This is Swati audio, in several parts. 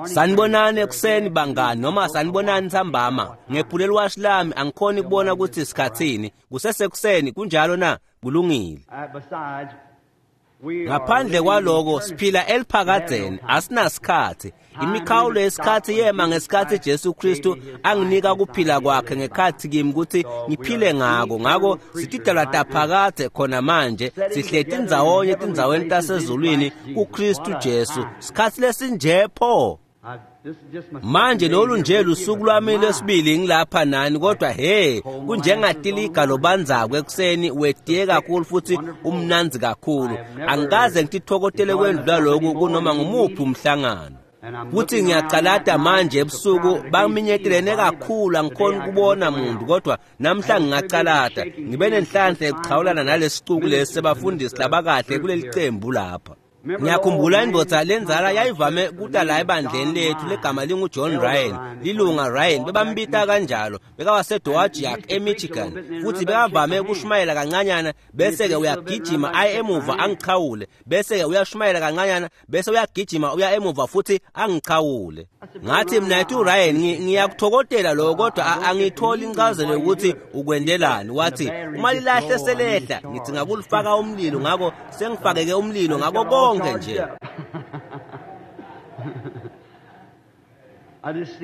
Sanibonani ekuseni bangani noma sanibonani ntsambama. Ngephule liwashi lami angikhoni kubona kutsi sikhatsini. Kusesekuseni kunjalo na? Kulungile. Ngaphandle kwaloko siphila eliphakadzeni asinasikhatsi. Imikhawulo yesikhatsi yema ngesikhatsi Jesu Kristu anginika kuphila kwakhe ngekhatsi kimi kutsi ngiphile ngako. Ngako sitidalwa taphakadze khona manje sihleti ndzawonye tindzaweni tasezulwini kuKristu Jesu. Sikhatsi lesinje pho. Manje lolu nje lusuku lwami lwesibili ngilapha nani, kodwa he kunjengatiliga lobandzako ekuseni wetiye kakhulu futhi umnandzi kakhulu. Angikaze ngitithokotele kwendlula loku kunoma ngumuphi umhlangano. Futhi ngiyacalata manje ebusuku baminyetelene kakhulu angikhoni kubona muntu, kodwa namhla ngingacalata ngibe nenhlanhla yekuchawulana nalesicuku lesi sebafundisi labakahle kuleli cembu lapha. Ngiyakhumbula indvodza lenzala yayivame kuta la ebandleni lethu legama lingu-John Ryan, lilunga Ryan, bebambita kanjalo, bekawaseDowagiac eMichigan, futhi bekavame ukushumayela kancanyana bese-ke uyagijima aye emuva angichawule, bese-ke uyashumayela kancanyana bese uyagijima uya emuva futhi angichawule. Ngathi mina uRyan ngiyakuthokotela lokho, kodwa angitholi incazelo yokuthi ukwendelani. Wathi uma lilahle selehla ngithi ngakulifaka umlilo, ngakho sengifakeke umlilo ngako konke nje.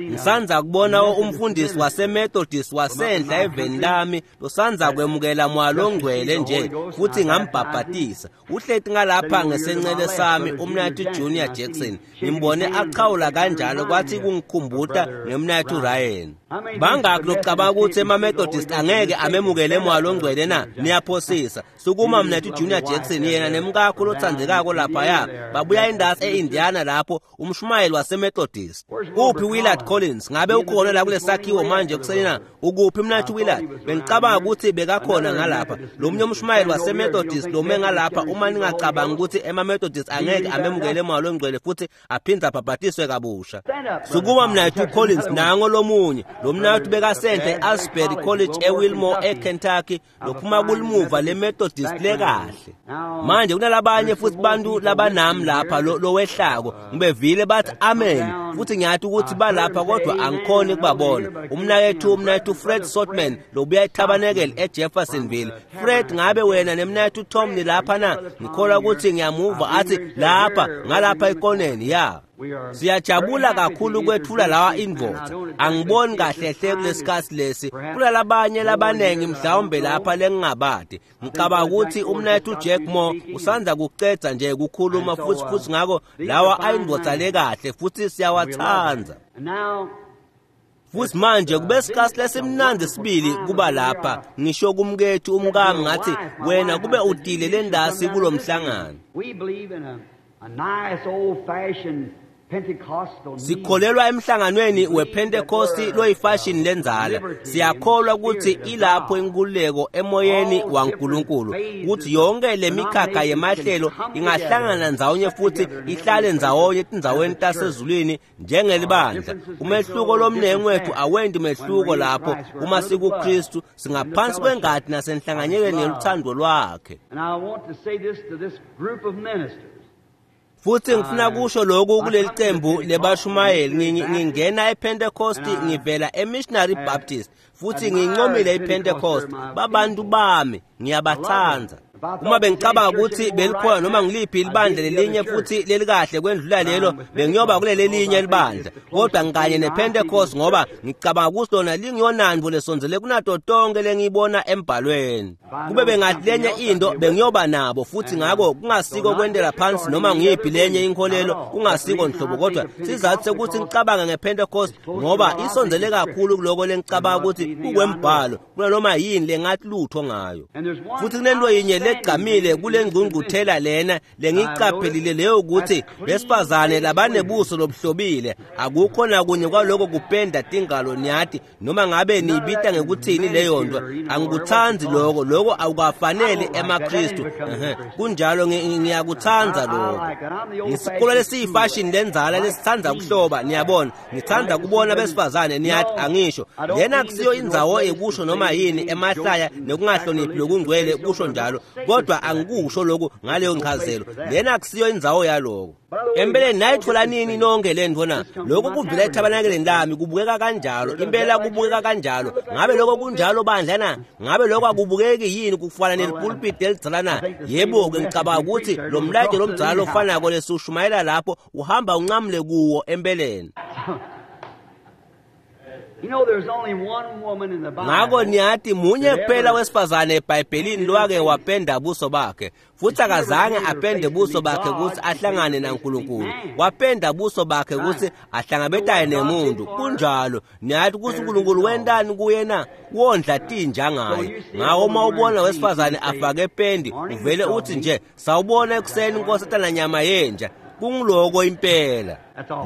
Ngisanza kubona umfundisi waseMethodist wasenhla eveni lami losanza kwemukela moya longcwele nje futhi ngambhabhatisa. Uhleti ngalapha ngesencele sami umnathu Junior Jackson, ngimbone achawula kanjalo kwathi kungikhumbuta ngemnathu Ryan. Bangaki locabanga ukuthi ema-Methodist angeke amemukele moya longcwele na? Niyaphosisa. Sukuma mnathu Junior Jackson, yena nemkakho lothandzekako laphaya babuya indasi e-Indiana lapho umshumayeli waseMethodist. Uphi Willard Collins? Ngabe ukhona la kulesakhiwo manje ekuseni na? Ukuphi mnathu Willard? Bengicabanga ukuthi bekakhona ngalapha. Lo munye umshumayeli waseMethodist lome ngalapha, uma ningacabanga ukuthi ema-Methodist angeke amemukele moya longcwele futhi aphindze abhabhatiswe kabusha. Sukuma mnathu Collins, nango lomunye. Lo mnathu bekasenhle e-Asbury College eWilmore eKentucky, lophuma kulimuva leMethodist lekahle. Manje kunalabanye futhi bantu labanami lapha lowehlako ngibevile bathi amen, futhi ngiyathi ukuthi balapha kodwa angikhoni ukubabona. Umnakethu Fred Sotman lobuya eTabernacle eJeffersonville. Fred, ngabe wena nemnakethu Tom nilapha na? Ngikholwa ukuthi ngiyamuva athi lapha ngalapha ekoneni ya. Siyajabula kakhulu kwethula lawa indvodza. Angiboni kahle hle kulesikhatsi lesi. Kulalabanye labanengi mhlawumbe lapha lengingabadi. Ngicabanga ukuthi umnakethu Jack Moore usanza kucedza nje ukukhuluma futhi ngako lawa ayindvodza lekahle futhi siyawatsandza. Futhi manje kube sikhatsi lesimnandzi sibili kuba lapha. Ngisho kumkethu umkami ngathi wena kube utile lendasi kulomhlangano. Sikholelwa emhlanganweni wePentecosti loyifashini lenzala. Siyakholwa ukuthi ilapho inkululeko emoyeni waNkulunkulu, ukuthi yonke lemikhakha yemahlelo ingahlangana ndzawonye futhi ihlale ndzawonye etindzaweni tasezulwini njengelibandla. Umehluko lomnengi wethu awendi mehluko lapho uma sikuKristu, singaphansi kwengadi nasenhlanganyelweni yeluthando lwakhe. Futhi ngifuna kusho lokhu kuleli cembu lebashumayeli. Ngingena ePentecost ngivela eMissionary Baptist futhi ngincomile iPentecost. Babantu bami ngiyabathanda. Uma bengicabanga ukuthi belikhona noma ngiliphi libandla lelinye futhi lelikahle kwendlula lelo, bengiyoba kuleli linye libandla, kodwa ngikanye nePentecost ngoba ngicabanga ukuthi lona lingiyonanto lesondzele kunato tonke lengiyibona embhalweni. Kube bengathi lenye into bengiyoba nabo futhi, ngako kungasiko kwendela phansi noma ngiyiphi lenye inkolelo, kungasiko nhlobo, kodwa sizathu sekuthi ngicabanga ngePentecost ngoba isondzele kakhulu kuloko lengicabanga ukuthi kukwembhalo kunanoma yini lengathi lutho ngayo. Futhi kunento yinye legqamile kule ngqungquthela lena lengiyiqaphelile leyo ukuthi besifazane labanebuso lobuhlobile akukho nakunye kwaloko kupenda tingalo niyati noma ngabe niyibita ngekuthini leyo nto. Angikuthandi lokho, lokho akukafanele emaKristu. Kunjalo, ngiyakuthanda lokho. Ngisikolo lesiyifashini lenzala lesithanda kuhloba, niyabona. Ngithanda kubona besifazane niyati, angisho lena kusiyo indzawo ekusho noma yini emahlaya nekungahloniphi lokungcwele kusho njalo, Kodwa angikusho lokhu ngaleyo nchazelo. Lena akusiyo indzawo yaloko. Empeleni nayithola nini nonke lentfo na? Lokhu kuvela ethabanakeleni lami kubukeka kanjalo, impela kubukeka kanjalo. Ngabe lokho kunjalo bandla na? Ngabe lokho akubukeki yini kufana nelipulpiti elidzala na? Yebo-ke, ngicabanga ukuthi lo mlayeto lomdzala lofanako lesiwushumayela lapho uhamba uncamule kuwo empeleni. Ngako niyati munye kuphela wesifazane eBhayibhelini lowake wapenda buso bakhe, futhi akazange apende buso bakhe ukuthi ahlangane naNkulunkulu. Wapenda buso bakhe ukuthi ahlangabetane nemuntu. Kunjalo, niyati ukuthi uNkulunkulu wentani kuye na? Wondla tinja ngaye. Ngako uma ubona wesifazane afake pendi, uvele uthi nje, sawubona ekuseni nkosatana nyama yenja. Kungiloko impela.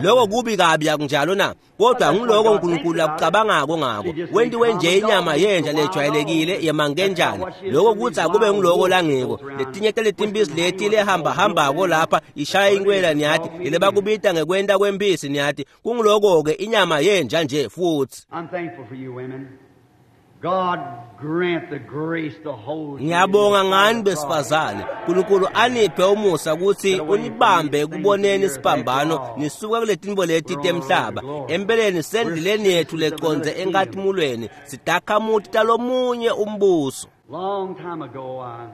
Lokho kubi kabi akunjalo na? Kodwa ngiloko uNkulunkulu akucabangako ngako. Wentiwe nje inyama yenja lejwayelekile yemankenjane. Lokho kuthi akube ngiloko langiko. Letinye taletimpisi leti lehamba hambako lapha ishaya inkwela niyati, lele bakubita ngekwenta kwempisi niyati. Kungiloko-ke inyama yenja nje futhi. I'm thankful for you women. God grant the grace to hold you. Ngiyabonga ngani besifazane. uNkulunkulu aniphe umusa ukuthi unibambe ekuboneni isiphambano nisuka kuletinto leti temhlaba. Empeleni sendleleni yethu leconze enkatimulweni sidakhamuti talomunye umbuso. Long time ago, I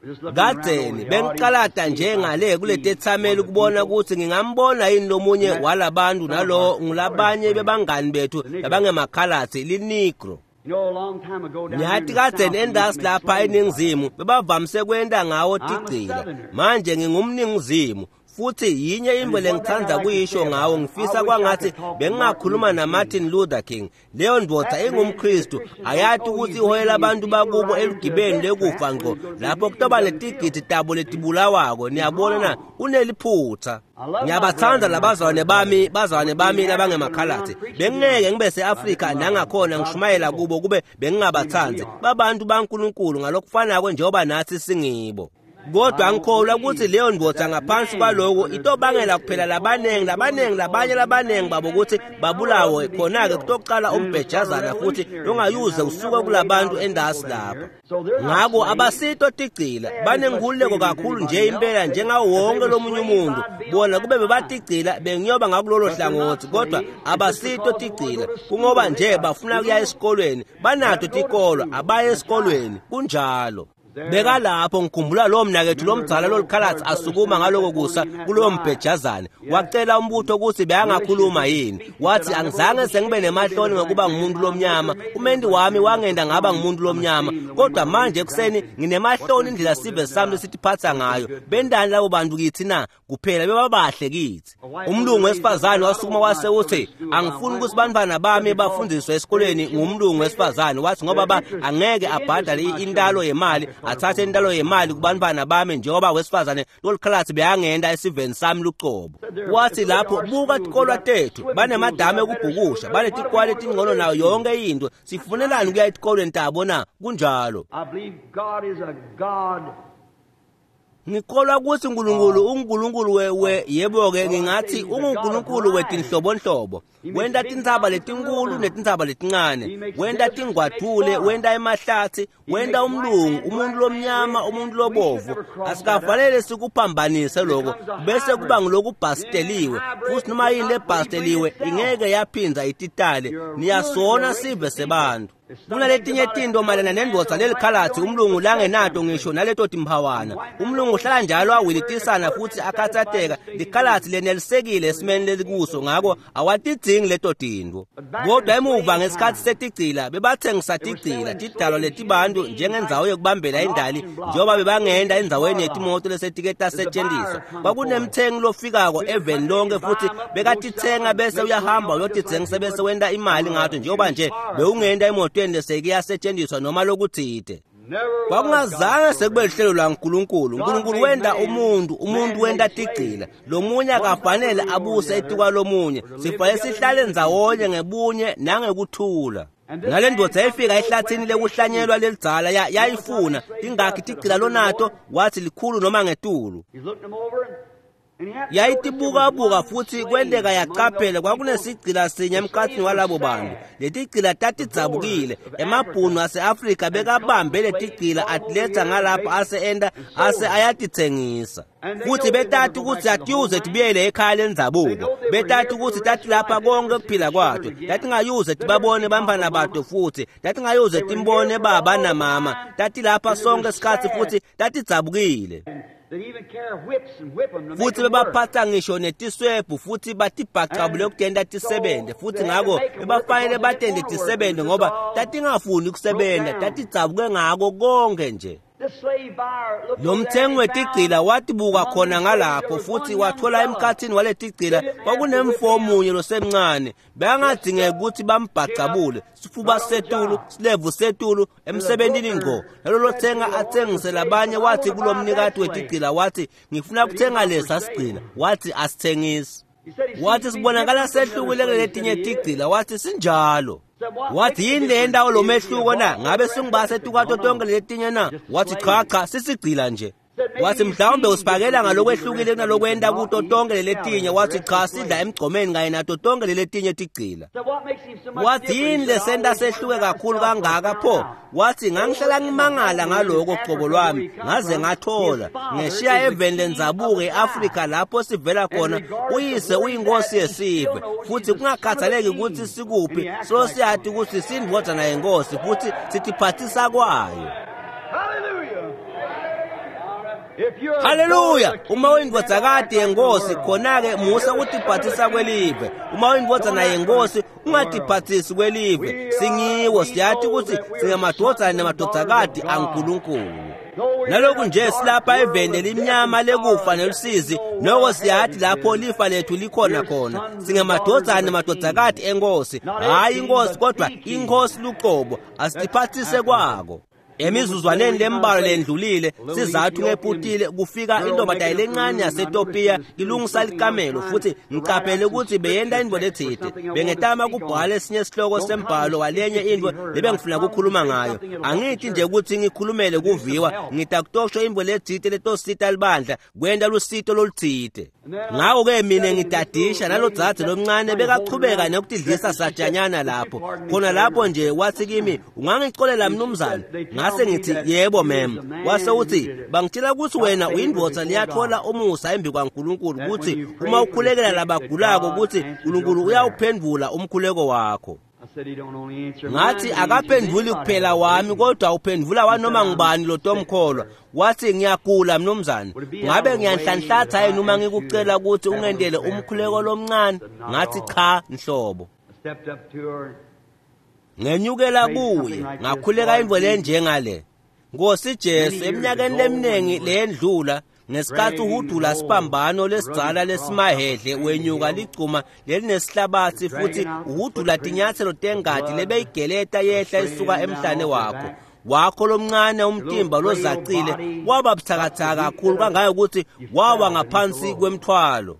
was just looking around over Kadzeni the bengiqalata audience to see if I njengale could kuleti see ethameli one of the ukubona people. ukuthi ngingambona yini lomunye walabantu nalo ngulabanye bebangani bethu labangemakhalatsi linigro. You know, a long time ago down here Nyathi in the kadzeni South, we used to endasi make lapha slaves out of eningizimu bebavamise kwenta ngawo tigcila. Manje ngingumningizimu futhi yinye into lengithanda kuyisho ngawo, ngifisa kwangathi bengingakhuluma naMartin Luther King. Leyo ndvodza ingumKristu, ayati ukuthi iholela abantu bakubo elugibeni lekufa ngqo lapho kutoba letigidi tabo letibulawako. Niyabona na? Uneliphutha. Ngiyabathanda labazalwane bami, bazalwane bami labangemakhalatsi. Bengingeke ngibe se-Afrika nangakhona ngishumayela kubo kube bengingabathandi. Babantu baNkulunkulu ngalokufanako njengoba nathi singibo. Kodwa angikholwa ukuthi leyo ndvodza ngaphansi kwaloko itobangela kuphela labaningi labaningi labanye labaningi babo ukuthi babulawe. Khona-ke kutoqala umbhejazana futhi longayuze usuke kulabantu endasi lapha. Ngako abasito tigcila, banenkululeko kakhulu nje impela njengawo wonke lomunye umuntu. Bona kube bebatigcila bengiyoba ngakulolo hlangothi, kodwa abasito tigcila kungoba nje bafuna kuya esikolweni. Banato tikolo, abaye esikolweni. Kunjalo. Bekalapho ngikhumbula lowo mnakethu lomdzala lolikhalathi asukuma ngaloko kusa kulowo mbhejazane. Wacela umbutho ukuthi beyangakhuluma yini. Wathi angizange sengibe nemahloni ngokuba ngumuntu lomnyama. Umendi wami wangenda ngaba ngumuntu lomnyama. Kodwa manje ekuseni nginemahloni indlela sive sami lesitiphatha ngayo. Bendani labo bantu kithi na? Kuphela bebabahle kithi. Umlungu wesifazane wasukuma wase uthi angifuni ukuthi bantwana bami bafundiswe esikoleni ngumlungu wesifazane. Wathi ngoba ba angeke abhadale intalo yemali, athathe intalo yemali kubantwana bami njengoba wesifazane lolikhalathi beyangenda esiveni sami lucobo. Wathi lapho buka tikolwa tethu, banemadamu ekubhukusha, banetikwali letingcono nayo yonke into. Sifunelani kuya etikolweni tabo na? Kunjalo. I believe God is a God. Ngikholwa ukuthi uNkulunkulu unguNkulunkulu we yebo-ke ngingathi unguNkulunkulu wetinhlobonhlobo. Wenta tintsaba letinkulu netintsaba letincane, wenta tingwadule, wenta emahlathi, wenta umlungu, umuntu lomnyama, umuntu lobovu. Asikafanele sikuphambanise lokho bese kuba ngilokubhasteliwe, futhi noma yini lebhasteliwe ingeke yaphinza ititale. Niyasona sive sebantu. Kunaletinye tinto mayelana nendvodza lelikhalathi umlungu langenato ngisho naleto timphawana. Umlungu uhlala njalo awilitisana futhi akhathateka. Likhalathi lenelisekile esimeni lelikuso, ngako awatidzingi leto tintfo. Kodwa emuva ngesikhathi setigcila bebathengisa tigcila, tidalwa letibantu njengendzawo yekubambela indali, njengoba bebangenda endzaweni yetimoto lesetike tasetjentiswa. Kwakunemthengi lofikako eveni lonke futhi bekatithenga bese uyahamba uyotitsengisa bese wenta imali ngato, njengoba nje bewungenta emotweni leseke yasetshenziswa noma lokuthide. Kwakungazange sekube lihlelo lwaNkulunkulu. uNkulunkulu wenta umuntu, umuntu wenta tigcila. Lomunye akafanele abuse etikwalomunye. Sifanele sihlale ndzawonye ngebunye nangekuthula. Nale ndvodza yayifika ehlathini lekuhlanyelwa lelidzala yayifuna tingakhi tigcila lonato, wathi likhulu noma ngetulu. He's looking them over. Yayitibukabuka futhi kwenteka yaqaphela kwakunesigcila sinye emkhathini walabo bantu. Letigcila tatidzabukile. Emabhunu ase-Afrika bekabambe letigcila atiletsa ngalapha ase enta ase ayatitsengisa. Futhi betati ukuthi atiyuze tibuyele ekhaya lendzabuko. Betati ukuthi tatilapha konke kuphila kwato. Tatingayuze tibabone bantfwana bato futhi. Tatingayuze timbone baba namama. Tatilapha sonke isikhatsi futhi tatidzabukile. Futhi bebaphatha ngisho netiswebhu futhi batibhacabule kutenta tisebente. Futhi ngako bebafanele batente tisebente ngoba tatingafuni kusebenta, tatidzabuke ngako konke nje. Lo mthengi wetigcila watibuka khona ngalapho futhi wathola emkhathini waletigcila kwakunemfo omunye losemncane. Bekangadingeki ukuthi bambhacabule, sifuba setulu, silevu setulu, emsebentini ngqo. Nalolo thenga athengise labanye wathi kulomnikati wetigcila wathi ngifuna kuthenga lesa sigcila. Wathi asithengisi. Wathi sibonakala sehlukile kuletinye tigcila. Wathi sinjalo. Wathi yini le ndawo lo mehluko na? Ngabe singibase tukwato tonke letinye na? Wathi cha cha sisigcila nje. Wathi mhlawumbe usiphakela ngalokwehlukile kunalokwenta kuto tonke letinye. Wathi cha sidla emgqomeni kanye nato tonke letinye tigcila. Wathi yini lesenta sehluke kakhulu kangaka pho? Wathi ngangihlala ngimangala ngaloko qobo lwami ngaze ngathola ngeshiya eveni lendzabuko eAfrika lapho sivela khona. Uyise uyinkosi yesive futhi kungakhathaleki ukuthi sikuphi so siyati ukuthi sindvodzana yenkosi futhi sitiphathisa kwayo. Haleluya! Uma uyindvodzakati yenkosi khona-ke musa ukutiphathisa kwelive. Uma uyindvodzana yenkosi ungatiphathisi kwelive. Singiwo siyati ukuthi singamadvodzana nemadvodzakati aNkulunkulu. Naloku nje silapha eveni limnyama lekufa nelusizi, noko siyati lapho lifa lethu likhona khona. Singamadvodzana nemadvodzakati enkosi, hhayi inkosi kodwa inkosi luqobo. Asitiphathise kwako. Emizuzwaneni lembalwa lendlulile sizathu ngeputile kufika intombazane lencane yaseTopiya ilungisa likamelo futhi ngicaphele ukuthi beyenta intfo letsite. Bengetama kubhala esinye isihloko sembhalo walenye intfo lebengifuna ukukhuluma ngayo. Angithi nje ukuthi ngikhulumele kuviwa, ngidakutosho intfo letsite letosita libandla kwenta lusito lolutsite. Ngako-ke mina ngidadisha nalodzadze lomncane bekachubeka nekutidlisa satshanyana lapho. Khona lapho nje wathi kimi, ungangicolela mnumzane? Ngase ngithi yebo mem. Wase uthi bangitshela ukuthi wena uyindvodza liyathola umusa embi kwaNkulunkulu ukuthi uma ukhulekela labagulako ukuthi uNkulunkulu uyawuphendvula umkhuleko wakho. Ngathi akaphendvuli kuphela wami kodwa uphendvula wanoma ngubani lotomkholwa. Wathi ngiyagula mnumzane, ngabe ngiyanhlanhlatha yini uma ngikucela ukuthi ungendele umkhuleko lomncane? Ngathi cha nhlobo. Ngenyukela kuye ngakhuleka intfo lenjengale. Nkosi Jesu, eminyakeni leminingi leyendlula ngesikhathi uhudula siphambano lesidzala lesimahedle wenyuka ligcuma lelinesihlabathi futhi uhudula tinyathelo tengati lebeyigeleta yehla isuka emhlane wakho. Wakho lomncane umtimba lozacile waba buthakathaka kakhulu kangangokuthi wawa ngaphansi kwemthwalo.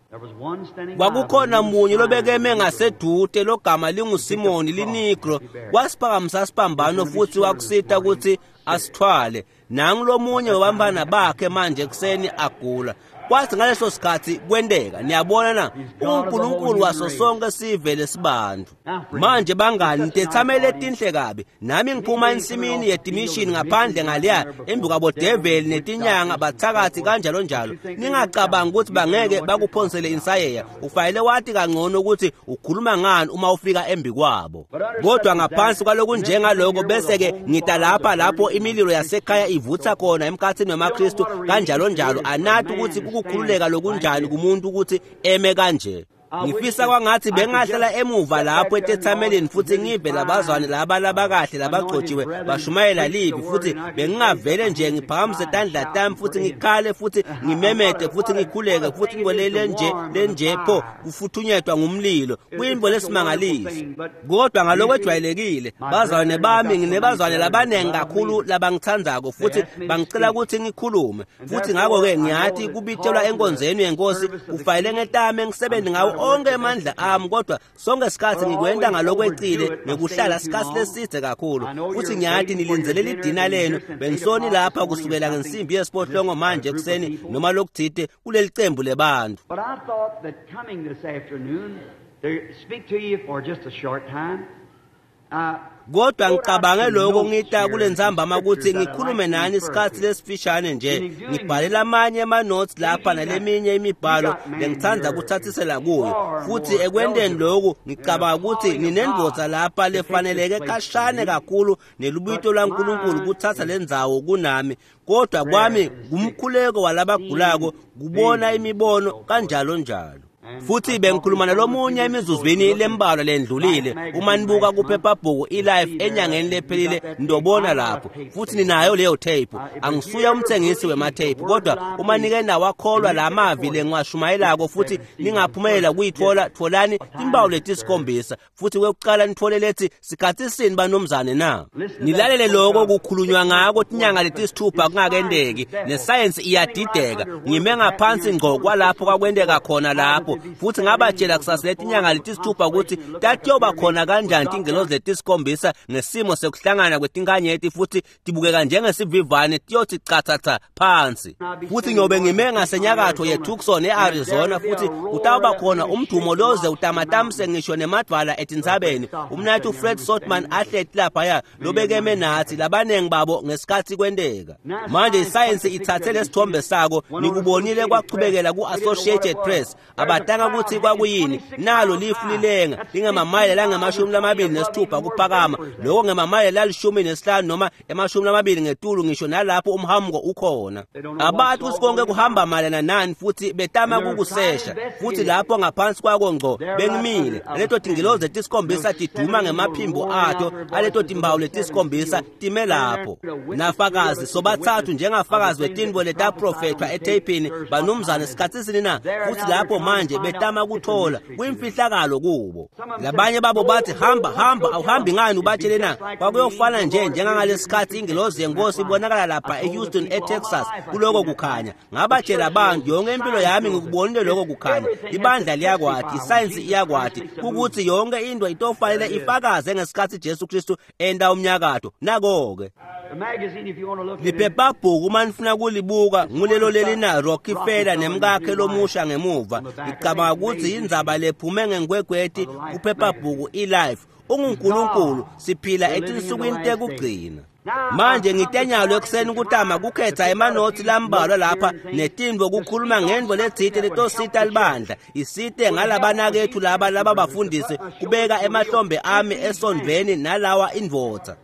Kwakukhona munye lobekeme ngasedude logama linguSimoni linigro, wasiphakamisa siphambano futhi wakusita ukuthi asithwale. Nangu lomunye wabantwana bakhe manje ekuseni agula. Kwathi ngaleso sikhathi kwenteka, niyabona na, uNkulunkulu waso sonke sive lesibantu. Manje bangani, tethamele tinhle kabi. Nami ngiphuma ensimini yetimishini ngaphandle ngaleya embi kwabodeveli netinyanga bathakathi kanjalo njalo. Ningacabangi ukuthi bangeke bakuphonsele insayeya. Ufanele wati kangcono ukuthi ukhuluma ngani uma ufika embi kwabo. Kodwa ngaphansi kwalokunjengaloko bese-ke ngita lapha lapho imililo yasekhaya ivutha khona emkhathini wemaKristu kanjalo njalo. Anathi ukuthi kukhululeka lokunjani kumuntu ukuthi eme kanje. Ngifisa kwangathi bengahlala emuva lapho etethameleni futhi ngive labazwane laba labakahle labagcotshiwe bashumayela livi futhi bengingavele nje ngiphakamise tandla tami futhi ngikhale futhi ngimemete futhi ngikhuleke futhi ngolele nje lenje pho kufuthunyetwa ngumlilo kuyimbo lesimangaliso. Kodwa ngalokwejwayelekile bazalwane bami nginebazwane labanengi kakhulu labangithandzako futhi bangicela ukuthi ngikhulume futhi ngakho-ke ngiyathi kubitshelwa enkonzweni yenkosi kufanele ngetame ngisebenze ngawo onke emandla ami, kodwa sonke isikhathi ngikwenta ngalokwecile ngekuhlala isikhathi lesidze kakhulu. Futhi ngiyathi nilindzelele idina lenu. Bengisoni lapha kusukela ngensimbi yesiphohlongo manje ekuseni noma lokuthite kuleli cembu lebantu. But I thought that coming this afternoon to speak to you for just a short time. Kodwa ngicabange lokho ngita kulentsambama ukuthi ngikhulume nani isikhathi lesifishane nje. Ngibhalela amanye ama-notes lapha naleminye imibhalo lengithanda kuthathisela kuyo. Futhi ekwenteni lokhu ngicabanga ukuthi ninendvodza lapha lefaneleke kashane kakhulu nelubito lwaNkulunkulu kuthatha lendzawo kunami. Kodwa kwami ngumkhuleko walabagulako kubona imibono kanjalo njalo. Futhi bengikhuluma nalomunye emizuzwini lembalwa lendlulile. Uma nibuka kuphephabhuku iLife enyangeni lephelile ndobona lapho. Futhi ninayo leyo tape. Angisuye umthengisi wematape, kodwa uma nike nawakholwa lamavi lengiwashumayelako futhi ningaphumelela kuyithola, tholani timpawu letisikhombisa. Futhi kwekuqala nithole lethi sikhathi sini banomzane na. Nilalele lokho kukhulunywa ngako tinyanga letisithupha kungakendeki. Nesayensi iyadideka. Ngime ngaphansi ngqo kwalapho kwakwendeka khona lapho. Futhi ngabatshela kusasa letinyanga letisithupha ukuthi tatiyoba khona kanjani tingelozi letisikhombisa ngesimo sekuhlangana kwetinkanyeti futhi tibukeka njengesivivane tiyothi chathatha phansi. Futhi ngiyobe ngime ngasenyakatho yeTucson eArizona, futhi kutawuba khona umdumo loze utamatamise ngisho nemadvala etintsabeni. Umnathu Fred Sotman ahleti laphaya lobekeme nathi labaningi babo ngesikhathi kwenteka. Manje isayensi ithathe lesithombe sako, nikubonile kwachubekela ku-Associated Press. Abatanga ukuthi kwakuyini, nalo lifu lilenga lingemamayela langama-26 kuphakama, lokho ngemamayela la-15 noma ema-20 ngetulu ngisho nalapho umhamuko ukhona. Abathi ukuthi konke kuhamba mayelana nani, futhi betama kukusesha. Futhi lapho ngaphansi kwako ngco bengimile leto tingilozi letisikhombisa tiduma ngemaphimbo ato aleto timpawu letisikhombisa time lapho. Nafakazi sobathathu njengafakazi wetintfo letaprofethwa etheyphini banumzane sikhathi sini na. Futhi lapho manje betama kuthola kuyimfihlakalo kubo. Labanye babo bathi hamba hamba, awuhambi ngani ubatshele na? Kwakuyofana nje njengangalesikhathi ingilozi yenkosi ibonakala lapha eHouston eTexas kuloko kukhanya. Ngabatshela abantu yonke impilo yami ngikubonile lokho kukhanya. Ibandla liyakwati, isayensi iyakwati ukuthi yonke into itofanele ifakaze ngesikhathi Jesu Kristu enda umnyakato. Nako-ke liphephabhuku uma nifuna kulibuka ngulelo lelina Rockefeller nemkakhe lomusha ngemuva. Ngicabanga ukuthi indzaba lephume ngenkwegweti kuphephabhuku iLife. UnguNkulunkulu, siphila etinsukwini tekugcina. Manje ngitenyalo ekuseni kutama kukhetha emanothi lambalwa lapha netintfo kukhuluma ngentfo letsite letosita libandla isite ngalabanakethu laba laba bafundisi kubeka emahlombe ami esondveni nalawa indvodza.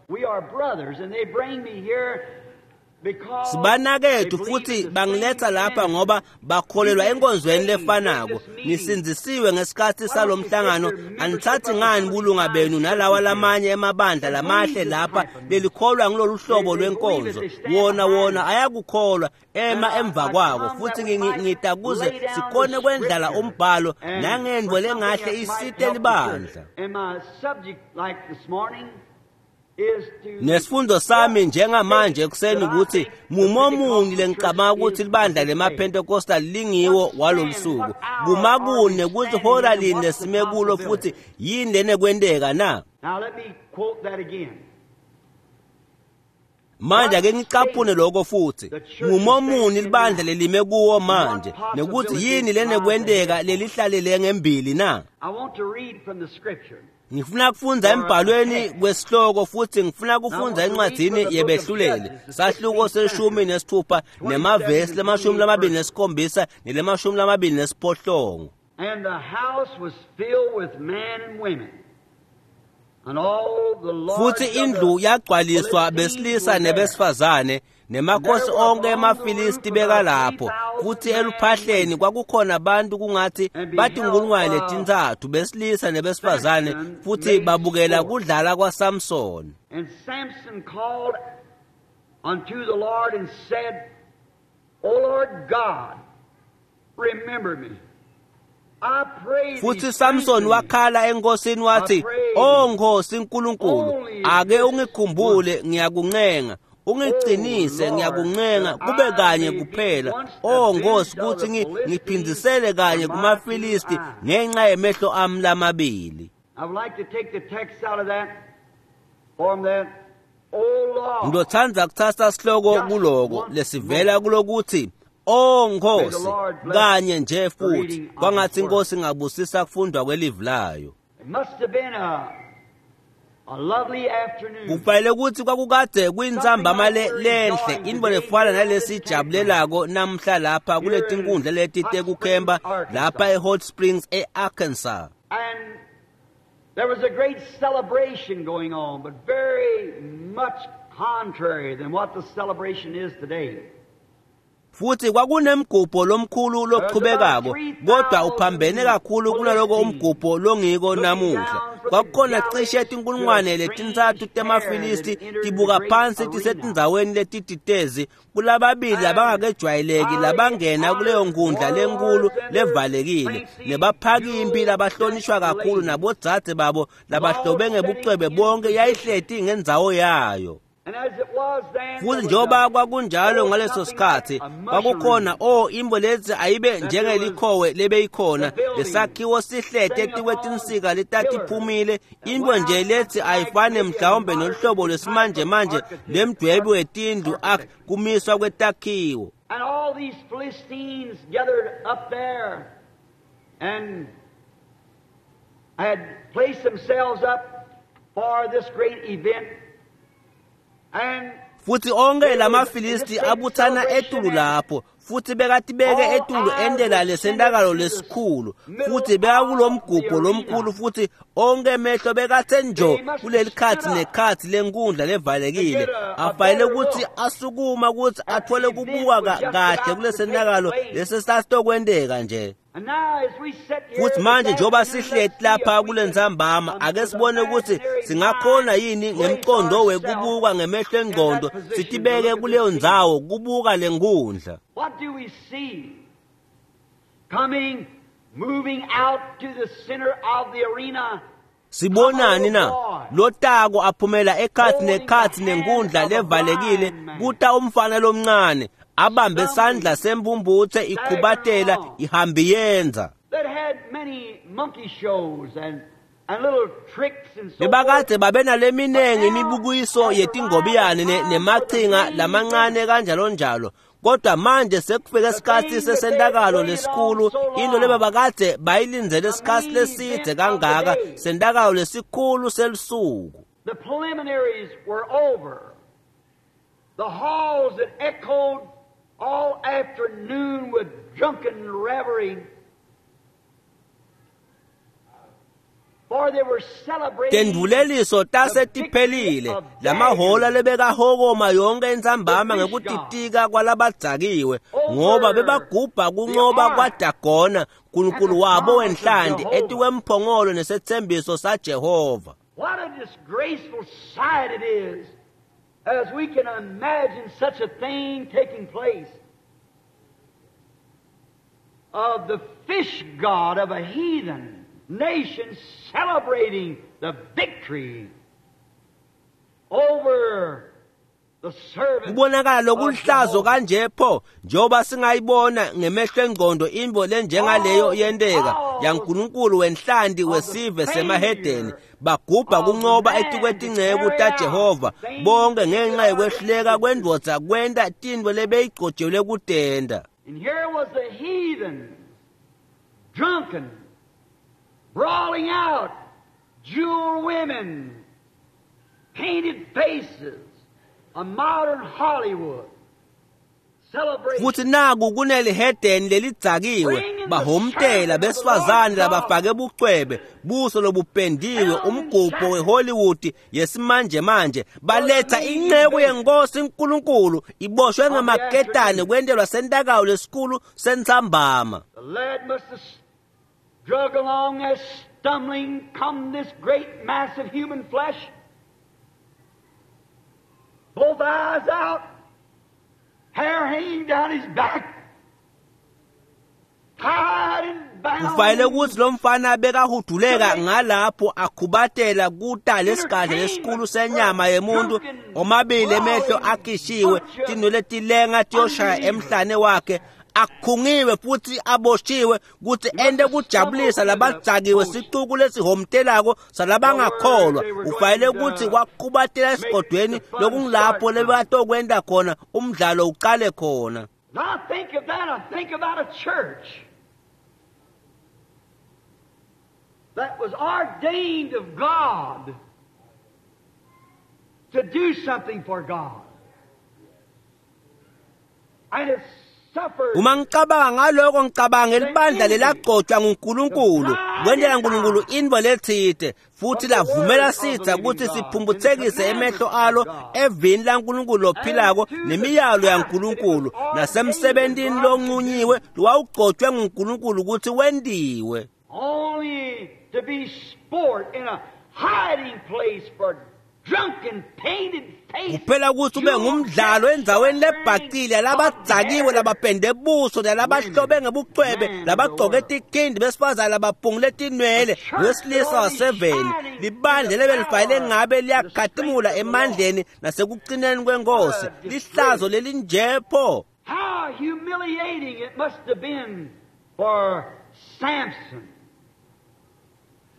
Sibanakethu futhi bangiletha lapha ngoba bakholelwa enkonzweni lefanako. Nisindzisiwe ngesikhathi salomhlangano, anithathi ngani bulunga benu nalawa lamanye emabandla lamahle lapha lelikholwa ngilolu hlobo lwenkonzo. Wona ayakukholwa ema emva kwako. Futhi ngita kuze sikhone kwendlala umbhalo nangendvo lengahle isite libandla. Nesifundo sami njengamanje ekuseni ukuthi mumomunye lengicabanga ukuthi libandla lemaPentecostal lingiwo walolusuku. Kumakune kuthi hora lini lesime kulo futhi yini lenekwenteka na? Manje ake ngicaphune lokho futhi. Ngumomuni libandla lelime kuwo manje nekuthi yini lenekwenteka lelihlalele ngembili na? Ngifuna kufundza embhalweni kwesihloko futhi ngifuna kufundza encwadzini yebehluleli sahluko se-16 nemavesi le-27 nele-28. And the house was filled with men and women. And all the lords Futhi indlu yagcwaliswa besilisa nebesifazane nemakhosi onke emaFilisti bekalapho. Futhi eluphahleni kwakukhona abantu kungathi batinkulungwane letintsatfu besilisa nebesifazane, futhi babukela kudlala kwaSamson. And Samson called unto the Lord and said, O Lord God, remember me. Futhi Samson wakhala enkosini wathi, "O Nkosi uNkulunkulu, ake ungikhumbule ngiyakuncenga. Ungiqinise ngiyakuncenga kube kanye kuphela, O Nkosi, kutsi ngiphindzisele kanye kumaFilisti ngenxa yemehlo ami lamabili. Ngizothanda kuthatha sihloko kuloko lesivela kulokuthi O Nkosi kanye nje futhi kwangathi inkosi ingabusisa kufundwa kwelivi layo. Kufanele ukuthi kwakukade kuyintsambama lenhle intfo lefana nalesijabulelako namhla lapha kuletinkundla leti tekukhemba lapha eHot Springs eArkansas. There was a great celebration going on, but very much contrary than what the celebration is today. Futhi kwakunemgubho lomkhulu loqhubekako, kodwa uphambene kakhulu kunaloko umgubho longiko namuhla. Kwakukhona cishe 3,000 temaFilisti tibuka phansi tisetindzaweni letititezi kulababili labangakejwayeleki labangena kuleyo nkundla lenkulu levalekile, nebaphakimpi labahlonishwa kakhulu nabodzadze babo labahlobe ngebucwebe bonke yayihleti ngendzawo yayo. Futhi njengoba kwakunjalo ngaleso sikhathi kwakukhona imbo lezi ayibe njengelikhowe lebeyikhona lesakhiwo sihlete etikwetinsika letatiphumile into nje lethi ayifane mhlawumbe noluhlobo lwesimanje manje lemdwebi wetindlu kumiswa kwetakhiwo. And all these Philistines gathered up there and had placed themselves up for this great event. Futhi onke lamaFilisti abuthana etulu lapho futhi bekatibeke etulu endela lesentakalo lesikhulu futhi bekakulomgubho lomkhulu futhi onke emehlo bekathe njo kuleli khathi nekhathi lenkundla levalekile afanele ukuthi asukuma ukuthi athole kubuka kahle kulesentakalo lesesasitokwenteka nje. Futhi manje njengoba sihleti lapha kulentsambama ake sibone ukuthi singakhona yini ngemqondo wekubuka ngemehlo engqondo sitibeke kuleyo ndzawo kubuka lenkundla. What do we see? Coming, moving out to the center of the arena. Sibonani na? Lotako aphumela ekhathi nekhathi nenkundla levalekile kuta umfana lomncane abambe sandla sembumbuthe ikhubatela ihambiyenza. Bebakade babenaleminengi imibukiso yetingobiyane nemachinga lamancane kanjalo njalo, kodwa manje sekufike isikhathi sesentakalo lesikhulu, into lebabakade bayilindzele isikhathi leside kangaka, sentakalo lesikhulu selusuku. The preliminaries were over. The halls that echoed all afternoon with drunken reverie. For they were celebrating Tendvuleliso tasetiphelile, lamahola lebekahokoma yonke intsambama ngekutitika kwalabadzakiwe, ngoba bebagubha kuncoba kwaDagona, nkulunkulu wabo wenhlanti, etikwemphongolo nesethembiso saJehova. What a disgraceful sight it is, as we can imagine such a thing taking place, of the fish god of a heathen nation celebrating the victory over the servant. Kubonakala lokulihlazo kanje pho, njengoba singayibona ngemehlo engqondo imbo lenjengaleyo yenteka yaNkulunkulu wenhlanti wesive semahedeni, bagubha kuncoba etikwetinceko taJehova bonke ngenxa yokwehluleka kwendvodza kwenta tintfo lebeyigcotshelwe kutenta. And here was the heathen, drunken, brawling out, jewel women, painted faces, a modern Hollywood celebration. Futhi naku kunelihedeni lelidzakiwe bahomtela besifazane labafake bucwebe buso lobupendiwe umgubho weHollywood yesimanje manje, baletha inceku yenkosi uNkulunkulu iboshwe ngamaketane kwentelwa sentakalo lesikhulu sentsambama. The lad must have drug along as stumbling come this great mass of human flesh, both eyes out, hair hanging down his back, tied and bound. Kufanele ukuthi lo mfana bekahuduleka ngalapho akhubatela kuta lesigadla lesikhulu senyama yemuntu, omabili emehlo akhishiwe, tinwele tilenga tiyoshaya emhlane wakhe, akhungiwe futhi aboshiwe ukuthi ente kujabulisa labadzakiwe sicuku lesihomtelako salabangakholwa. Ufanele ukuthi kwakhubatela esigodweni lokungilapho lebatokwenta khona umdlalo uqale khona. Now I think of that, I think about a church that was ordained of God to do something for God. And it suffered. Uma ngicabanga ngaloko ngicabanga libandla lelagcotshwa nguNkulunkulu kwentela uNkulunkulu intfo letsite futhi lavumela sitsa ukuthi siphumbuthekise emehlo alo evini laNkulunkulu lophilako nemiyalo yaNkulunkulu nasemsebentini lonqunyiwe lowawugcotshwe nguNkulunkulu ukuthi wentiwe. Only to be sport in a hiding place for drunken, painted faces. Kuphela ukuthi ube ngumdlalo endzaweni lebhacile labadzakiwe labapende buso nalabahlobe ngebucwebe labagcoke tikhindi besifazane labaphungule tinwele wesilisa waseveni. Libandla lebelifanele ngabe liyakhatimula emandleni nasekucineni kwenkosi. Lihlazo lelinjepho. How humiliating it must have been for Samson,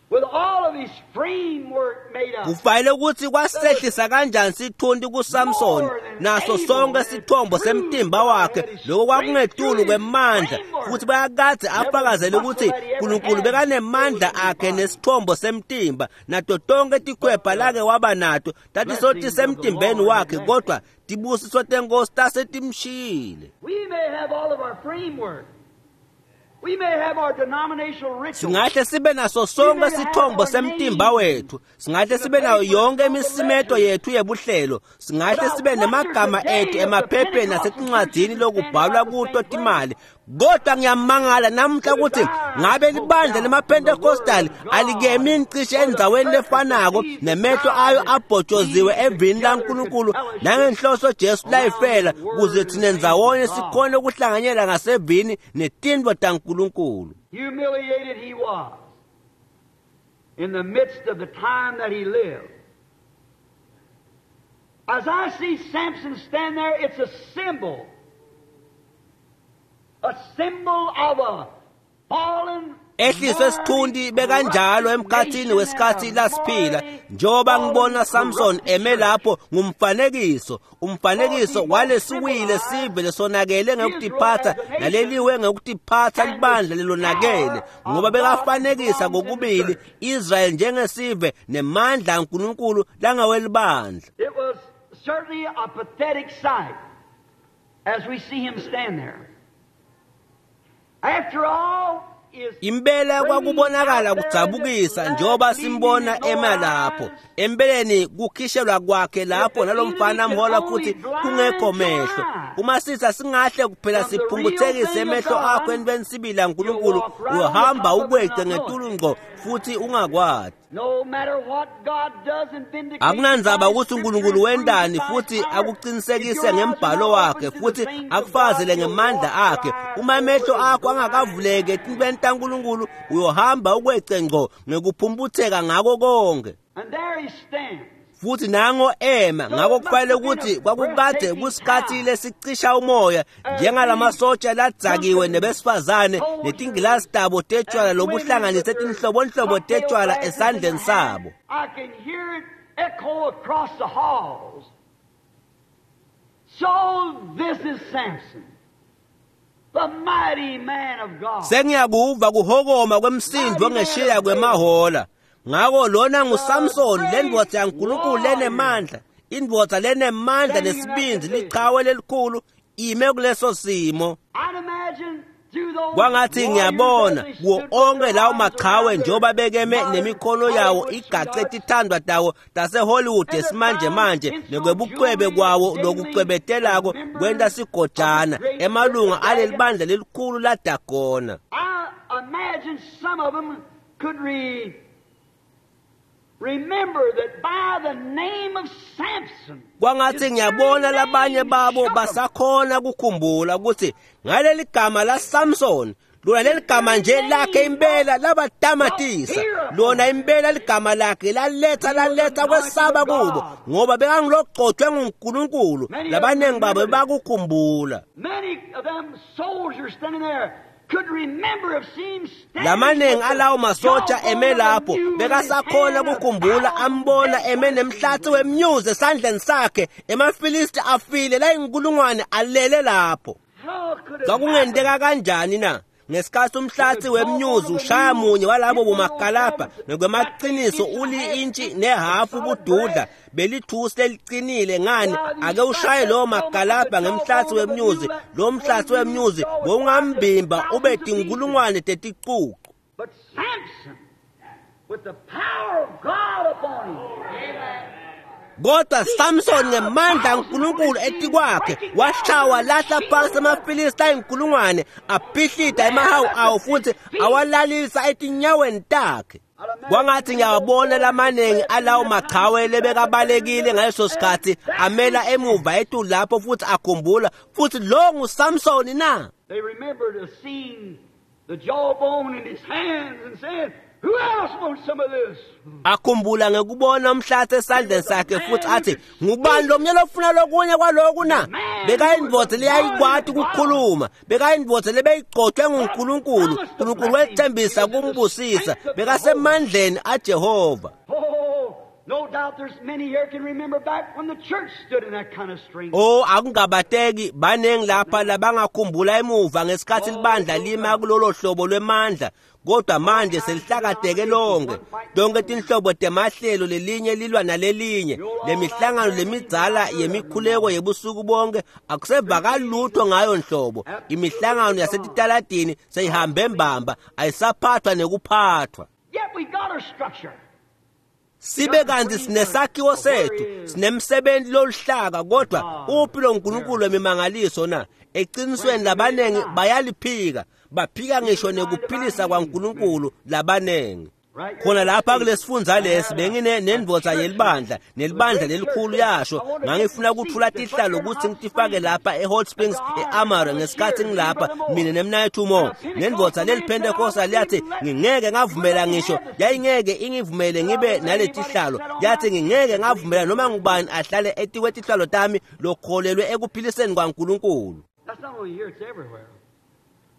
with all of his framework made up. Kufanele ukuthi kwasehlisa kanjani sithunti kuSamson naso sonke sithombo semtimba wakhe lokho kwakungetulu kwemandla futhi bayakadze afakazele ukuthi uNkulunkulu bekanemandla akhe nesithombo semtimba nato tonke tikhwepha lake waba nato tatisothi semtimbeni wakhe kodwa tibusiso tenkosi tasetimshiyile. We may have all of our framework. We may have our denominational rituals. Singahle sibe naso sonke sithombo semtimba wethu, singahle sibe nayo yonke imisimeto yethu yebuhlelo, singahle sibe nemagama ethu emaphepheni nasetincwadzini lokubhalwa kuto timali, kodwa ngiyamangala namuhla ukuthi ngabe libandla lemaPentecostal alikemi cishe endzaweni lefanako nemehlo ayo abhotshoziwe evini laNkulunkulu nangenhloso Jesu layifela kuze thina ndzawonye sikhone ukuhlanganyela ngasevini netintfo taNkulunkulu. Humiliated he was in the midst of the time that he lived. As I see Samson stand there, it's a symbol. A symbol of a fallen Ehliswe sithundi bekanjalo emkhathini wesikhathi lasiphila njengoba ngibona Samson eme lapho ngumfanekiso, umfanekiso walesiwile sive lesonakele ngekutiphatha naleliwe ngekutiphatha libandla lelonakele ngoba bekafanekisa kokubili Israel njengesive nemandla aNkulunkulu langawelibandla. It was certainly a pathetic sight as we see him stand there. After all, Impela kwakubonakala kudzabukisa njengoba simbona ema lapho. Empeleni kukhishelwa kwakhe lapho nalomfana amhola futhi kungekho mehlo. Uma sitha singahle kuphela siphumbuthekise emehlo akho entweni sibili yaNkulunkulu, uhamba ukwece ngetulu ngqo futhi ungakwati. No matter what God does and vindicates Akunandzaba by ukuthi uNkulunkulu wentani futhi akuqinisekise ngembhalo wakhe futhi akufazele ngemandla akhe. Uma amehlo akho angakavuleki etintweni taNkulunkulu, uyohamba ukwece ngqo ngekuphumputheka ngako konke. And there he stands. Futhi nango ema ngako kufanele ukuthi kwakukade kusikhathi lesicisha umoya njengalamasotsha ladzakiwe nebesifazane netingilasi tabo tetshwala lobuhlanganise tinhlobonhlobo tetshwala esandleni sabo. I can hear it echo across the halls. So this is Samson, the mighty man of God. Sengiyakuva kuhokoma kwemsindvo ngeshiya kwemahola. Ngako lona nguSamson lendvodza yaNkulunkulu lenemandla, indvodza lenemandla nesibindzi, lichawe lelikhulu ime kuleso simo. I'd imagine through those Kwangathi ngiyabona warriors as they kuwo stood with onke their lawo arms machawe around njengoba their bekeme modern nemikhono yawo Hollywood igace sweethearts, tithandwa tawo taseHollywood esimanje manje nekwebucwebe kwawo lokucwebetelako kwenta sigojana emalunga aleli bandla lelikhulu laDagona. I imagine some of them could remember that by the name of Samson, Kwangathi ngiyabona labanye babo basakhona kukhumbula ukuthi ngaleli gama la Samson Lona leligama nje lakhe impela labatamatisa. Lona impela ligama lakhe laletsa kwesaba kubo, ngoba bekangilogcotshwe nguNkulunkulu. Labaningi babo bakukhumbula. Lamaningi alawo masotsha eme lapho bekasakhona kukhumbula, ambona eme nemhlatsi wemnyuzi esandleni sakhe, emaFilisti afile layinkulungwane alele lapho. Kwakungenteka kanjani na? Ngesikhathi umhlatsi wemnyuzi ushaya munye walabo bomakalabha ngokwemaqiniso uli-intshi nehafu bududla belithusi leliqinile, ngani ake ushaye lowo makalabha ngemhlatsi wemnyuzi, lo mhlatsi wemnyuzi bowungambimba ube tinkulungwane teticucu. But Samson, with the power of God upon him, Kodwa Samson ngemandla aNkulunkulu etikwakhe washawa lahla phansi amaFilisti ayinkulungwane, aphihlida emahawu awo futhi awalalisa etinyaweni takhe. Kwangathi ngiyawabona lamaningi alawo machawe lebekabalekile ngaleso sikhathi amela emuva etulu lapho futhi akhumbula, futhi lo nguSamsoni na? They remembered the scene, the jawbone in his hands, and said, "Who else wants some of this?" Akhumbula ngekubona umhlatsi esandleni sakhe futhi athi, ngubani lo mnye lofuna lokunye kwaloku na? Bekayindvodza leyayikwati ukukhuluma, bekayindvodza lebeyigcotshwe nguNkulunkulu. Nkulunkulu wethembisa kumbusisa, bekasemandleni aJehova. Oh, no doubt there's many here can remember back when the church stood in that kind of strength. Oh, akungabateki baningi lapha labangakhumbula emuva ngesikhathi libandla lima kulolo hlobo lwemandla, kodwa manje selihlakateke lonke. Tonke tinhlobo temahlelo, lelinye lilwa nalelinye. Lemihlangano lemidzala yemikhuleko yebusuku bonke akusevakali lutho ngayo nhlobo. Imihlangano yasetitaladini seyihambe mbamba, ayisaphathwa nekuphathwa. Yet we got our structure. Sibe kanti sinesakhiwo sethu, sinemsebenzi loluhlaka, kodwa uphi lo nkulunkulu wemimangaliso na? Eqinisweni labanengi bayaliphika, baphika ngisho nekuphilisa kwaNkulunkulu labanengi. Khona lapha kulesifundza lesi bengine nendvodza yelibandla, nelibandla lelikhulu yasho, ngangifuna ukuthula tihlalo ukuthi ngitifake lapha eHot Springs eAmara ngesikhathi ngilapha mina nemnayethu Mo. Nendvodza leliPentecostal yathi ngingeke ngavumela ngisho, yayingeke ingivumele ngibe naletihlalo. Yathi ngingeke ngavumela noma ngubani ahlale etikwe tihlalo tami lokholelwe ekuphiliseni kwaNkulunkulu. That's not only here, it's everywhere.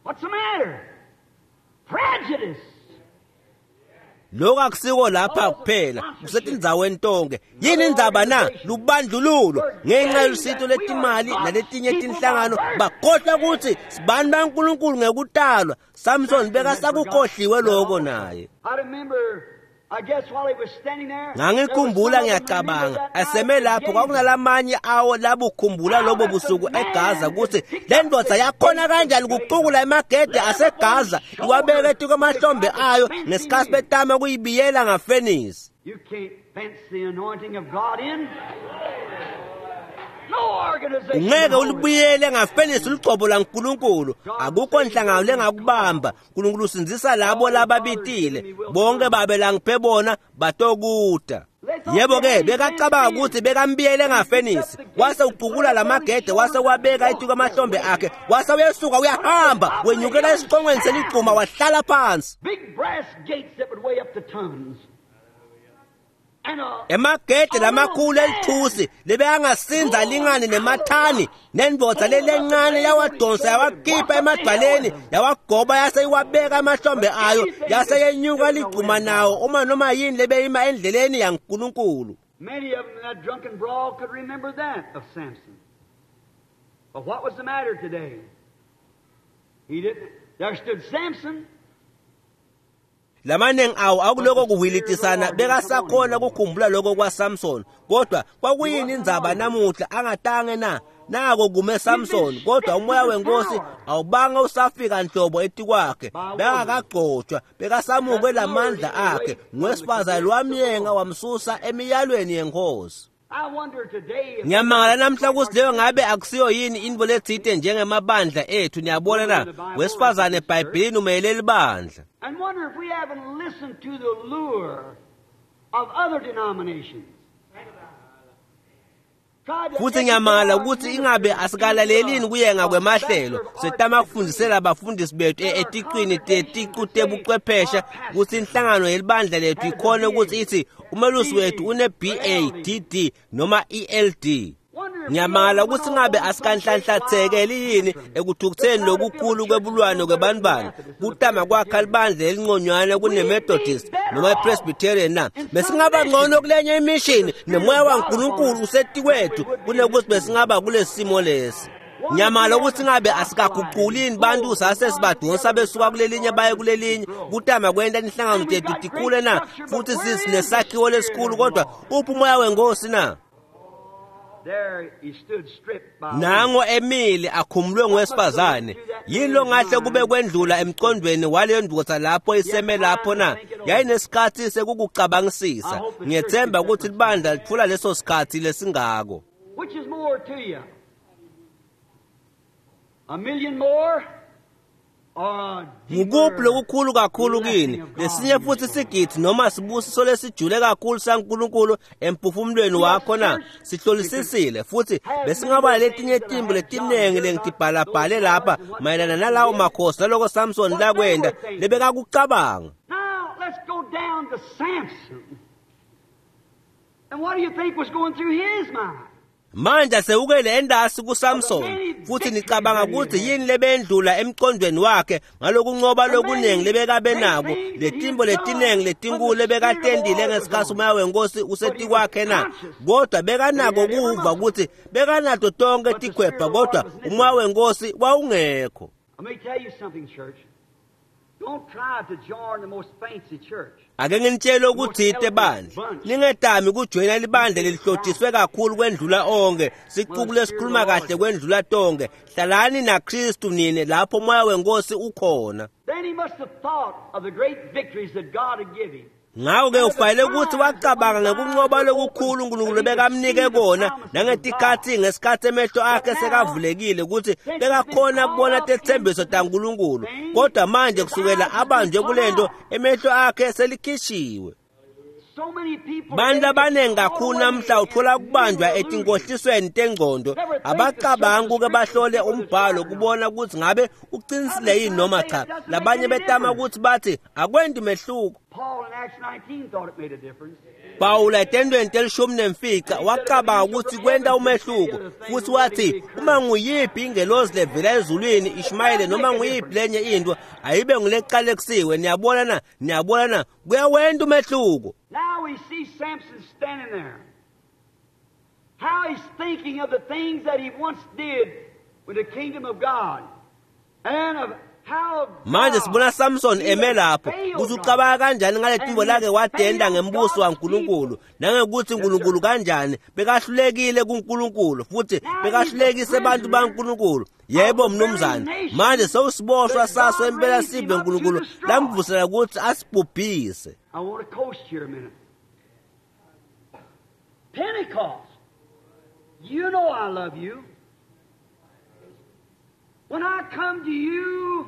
What's the matter? Prejudice. Lokho akusiko lapha kuphela, kusetindzaweni tonke. Yini indzaba na? Lubandlululo ngenxa yolusito letimali naletinye tinhlangano bakhohlwa ukuthi sibani baNkulunkulu ngekutalwa. Samson bekasakukhohliwe lokho naye. I remember, I guess while he was standing there, Ngangikhumbula ngiyacabanga aseme lapho kwakunalamanye awo labukhumbula lobo busuku eGaza ukuthi le ndvodza yakhona kanjani kucukula emagede aseGaza iwabeke etikwe ayo ngesikhathi betama kuyibiyela ngafenisi. You can't fence the anointing of God in. No organization. Ungeke ulibuyele ngafenisi ugcobo laNkulunkulu. Akukho nhlangano lengakubamba. Nkulunkulu usindzisa labo lababitile. Bonke babe langiphe bona batokuta. Yebo ke bekacabanga ukuthi bekambiyele ngafenisi, wase ucukula lamagede, wase wabeka etuka amahlombe akhe, wase uyesuka uyahamba wenyukela esiqongweni seligcuma wahlala phansi. Big brass gates that would weigh up to tons. And Emagede lamakhulu elithusi lebekangasinza lingane nemathani, nendvodza lelencane yawadonsa yawakhipha emadwaleni, yawagoba yase iwabeka emahlombe ayo, yase yenyuka ligcuma nawo uma noma yini lebeyima endleleni yaNkulunkulu. many of them in that drunken brawl could remember that of Samson. But what was the matter today? He didn't. There stood Samson. Lamaningi awo akuloko kuhwilitisana bekasakhona ukukhumbula lokho kwaSamson, kodwa kwakuyini indzaba namuhla angatange na? Nako kume Samson, kodwa umoya wenkosi awubanga usafika nhlobo etikwakhe. Bekakagcotshwa, bekasamukwe lamandla akhe ngowesifazane lwamyenga wamsusa emiyalweni yenkosi. I wonder today if Ngiyamangala namhla ukuthi leyo ngabe akusiyo yini into letsite njengemabandla ethu. Niyabona na, wesifazane eBhayibhelini umelele libandla. And wonder if we haven't listened to the lure of other denominations. Futhi ngiyamangala ukuthi ingabe asikalalelini kuyenga kwemahlelo setama kufundisela abafundisi bethu etiqwini teticu tebuchwepheshe ukuthi inhlangano yelibandla lethu ikhona ukuthi ithi umelusi wethu une BA DD noma ELD. Ngiyamangala ukuthi ngabe asikanhlanhlathekeli yini ekuthukutheni lokukhulu kwebulwane kwebantwana kutama kwakha libandla elinconywana kune-Methodist noma i-Presbyterian na. Besingaba ngcono kulenye imishini nemoya waNkulunkulu usetikwethu kunekuthi besingaba kulesi simo lesi. Ngiyamangala ukuthi ngabe asikaguqulini bantu sase sibadonsa besuka kulelinye baye kulelinye kutama kwenta inhlangano tethu tikhule na, futhi sinesakhiwo lesikhulu, kodwa uphi umoya wenkosi na? Nango emile akhumulwe ngowesifazane. Yini longahle kube kwendlula emcondweni waleyo ndoda lapho iseme lapho na? Yayinesikhathi sekukucabangisisa. Ngiyethemba ukuthi libandla litfula leso sikhathi lesingako. Which is more to you? A million more? Ngukuphi lokukhulu kakhulu kini, lesinye futhi sigidi noma sibusiso lesijule kakhulu saNkulunkulu emphefumulweni wakho na? Sihlolisisile futhi besingaba letinye timbo letiningi lengitibhalabhale lapha mayelana nalawo makhosi naloko Samson lakwenda lebekakucabanga. Now let's go down to Samson. And what do you think was going through his mind? Manje sewukele endasi kuSamson futhi nicabanga ukuthi yini lebendlula emcondweni wakhe ngalokunqoba lokuningi lebekabe nako, letimbo letiningi letinkulu lebekatendile ngesikhathi umoya wenkosi usetikwakhe na? Kodwa bekanako kuva ukuthi bekanato tonke tikhwepha, kodwa umoya wenkosi wawungekho. Let me tell you something, church. Don't try to join the most fancy church. Ake nginitshele ukuthi bandla, ningetami kujoyina libandla lelihlotshiswe kakhulu kwendlula onke, sicuku lesikhuluma kahle kwendlula tonke. Hlalani naKristu nine lapho umoya wenkosi ukhona. Then he must have thought of the great victories that God had given him. Ngakho-ke ufanele ukuthi wacabanga ngekunqoba lokukhulu uNkulunkulu bekamnike kona nangetikhathi ngesikhathi emehlo akhe sekavulekile ukuthi bekakhona kubona tethembiso taNkulunkulu, kodwa manje kusukela abanjwe kulento emehlo akhe selikhishiwe. Bantu abaningi kakhulu namhla uthola kubanjwa etinkohlisweni tengcondo, abacabanga ukuke bahlole umbhalo kubona ukuthi ngabe uqinisile yini noma cha. Labanye betama ukuthi bathi akwendi mehluko. Paul in Acts 19 thought it made a difference. Pawula etendweni 15 wacabanga ukuthi kwenta umehluko, futhi wathi uma nguyiphi ingelozi levela ezulwini Ishmayeli noma nguyiphi lenye into ayibe nguleqalekisiwe. Niyabona na? Niyabona na? Kuyawenta umehluko. Now we see Samson standing there. How he's thinking of the things that he once did with the kingdom of God. And of how Manje sibona Samson eme lapho ukuthi ucabanga kanjani ngale timbo lake wadenda ngembuso waNkulunkulu nangekuthi uNkulunkulu kanjani bekahlulekile kuNkulunkulu futhi bekahlulekise abantu baNkulunkulu. Yebo mnumzane, manje sewusiboshwa saso impela sive uNkulunkulu lamvusela ukuthi asibhubhise. I want to coast here a minute. Pentecost, you know I love you. When I come to you,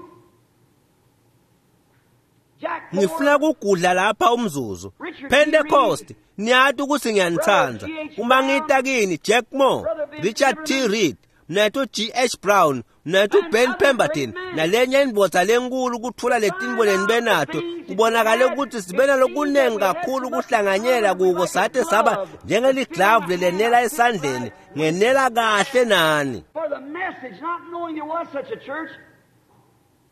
Jack Ngifuna kugudla lapha umzuzu. Pentecost, niyati ukuthi ngiyanithanda. Uma ngita kini Jack Moore, Richard T. Reed, mnethu G.H. Brown, mnethu Ben Pemberton, nalenye indvodza lenkulu kutfula letinto lenibenato, kubonakale ukuthi sibe nalokunengi kakhulu kuhlanganyela kuko sate saba njengeliglavu lelenela esandleni, ngenela kahle nani. For the message, not knowing there was such a church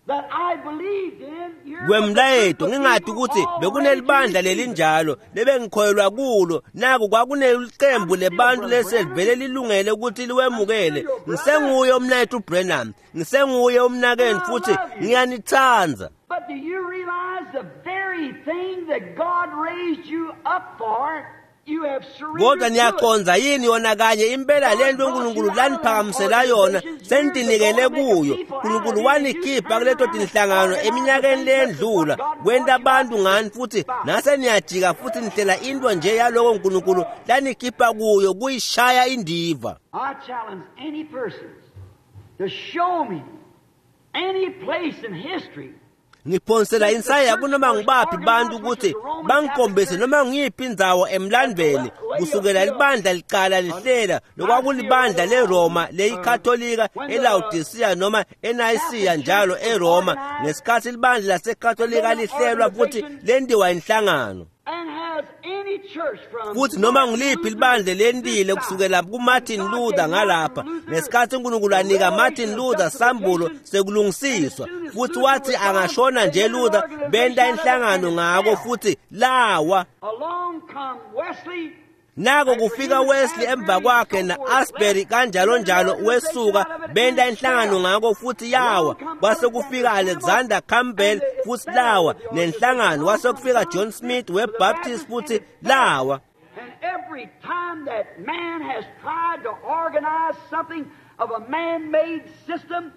that I believed in. Here Kwemlayeto ngingathi ukuthi bekunelibandla lelinjalo lebengikholelwa kulo, naku kwakunelicembu lebantu leselivele lilungele ukuthi liwemukele. Ngisenguye umnethu Branham, ngisenguye umnakeni futhi ngiyanithanda. But do you realize the very thing that God raised you up for, you have surrendered Kodwa to it. niyaconza yini yona kanye impela lento uNkulunkulu laniphakamisela yona sentinikele kuyo. uNkulunkulu wanikhipha kuleto tinhlangano eminyakeni leyendlula kwenta abantu ngani futhi nase niyajika futhi nihlela into nje yaloko uNkulunkulu lanikhipha kuyo kuyishaya indiva. I challenge any person to show me any place in history Ngiphonsela insaya kunoma ngibaphi bantu ukuthi bangikhombise noma ngiyiphi indzawo emlandvweni kusukela libandla liqala lihlela lokwakulibandla leRoma leyikatholika eLaodicea noma eNayisiya njalo eRoma ngesikhathi libandla lasekatholika lihlelwa futhi lendiwa inhlangano. Futhi noma ngiliphi libandla lentile kusukela kuMartin Luther ngalapha ngesikhathi uNkulunkulu anika Martin Luther sambulo sekulungisiswa futhi wathi angashona nje Luther benta inhlangano ngako futhi lawa. Nako kufika Wesley emva kwakhe na-Asbury kanjalo njalo wesuka benta inhlangano ngako futhi yawa. Kwase kufika Alexander Campbell futhi lawa nenhlangano. Kwase kufika John Smith weBaptist futhi lawa. And every time that man has tried to organize something of a man-made system,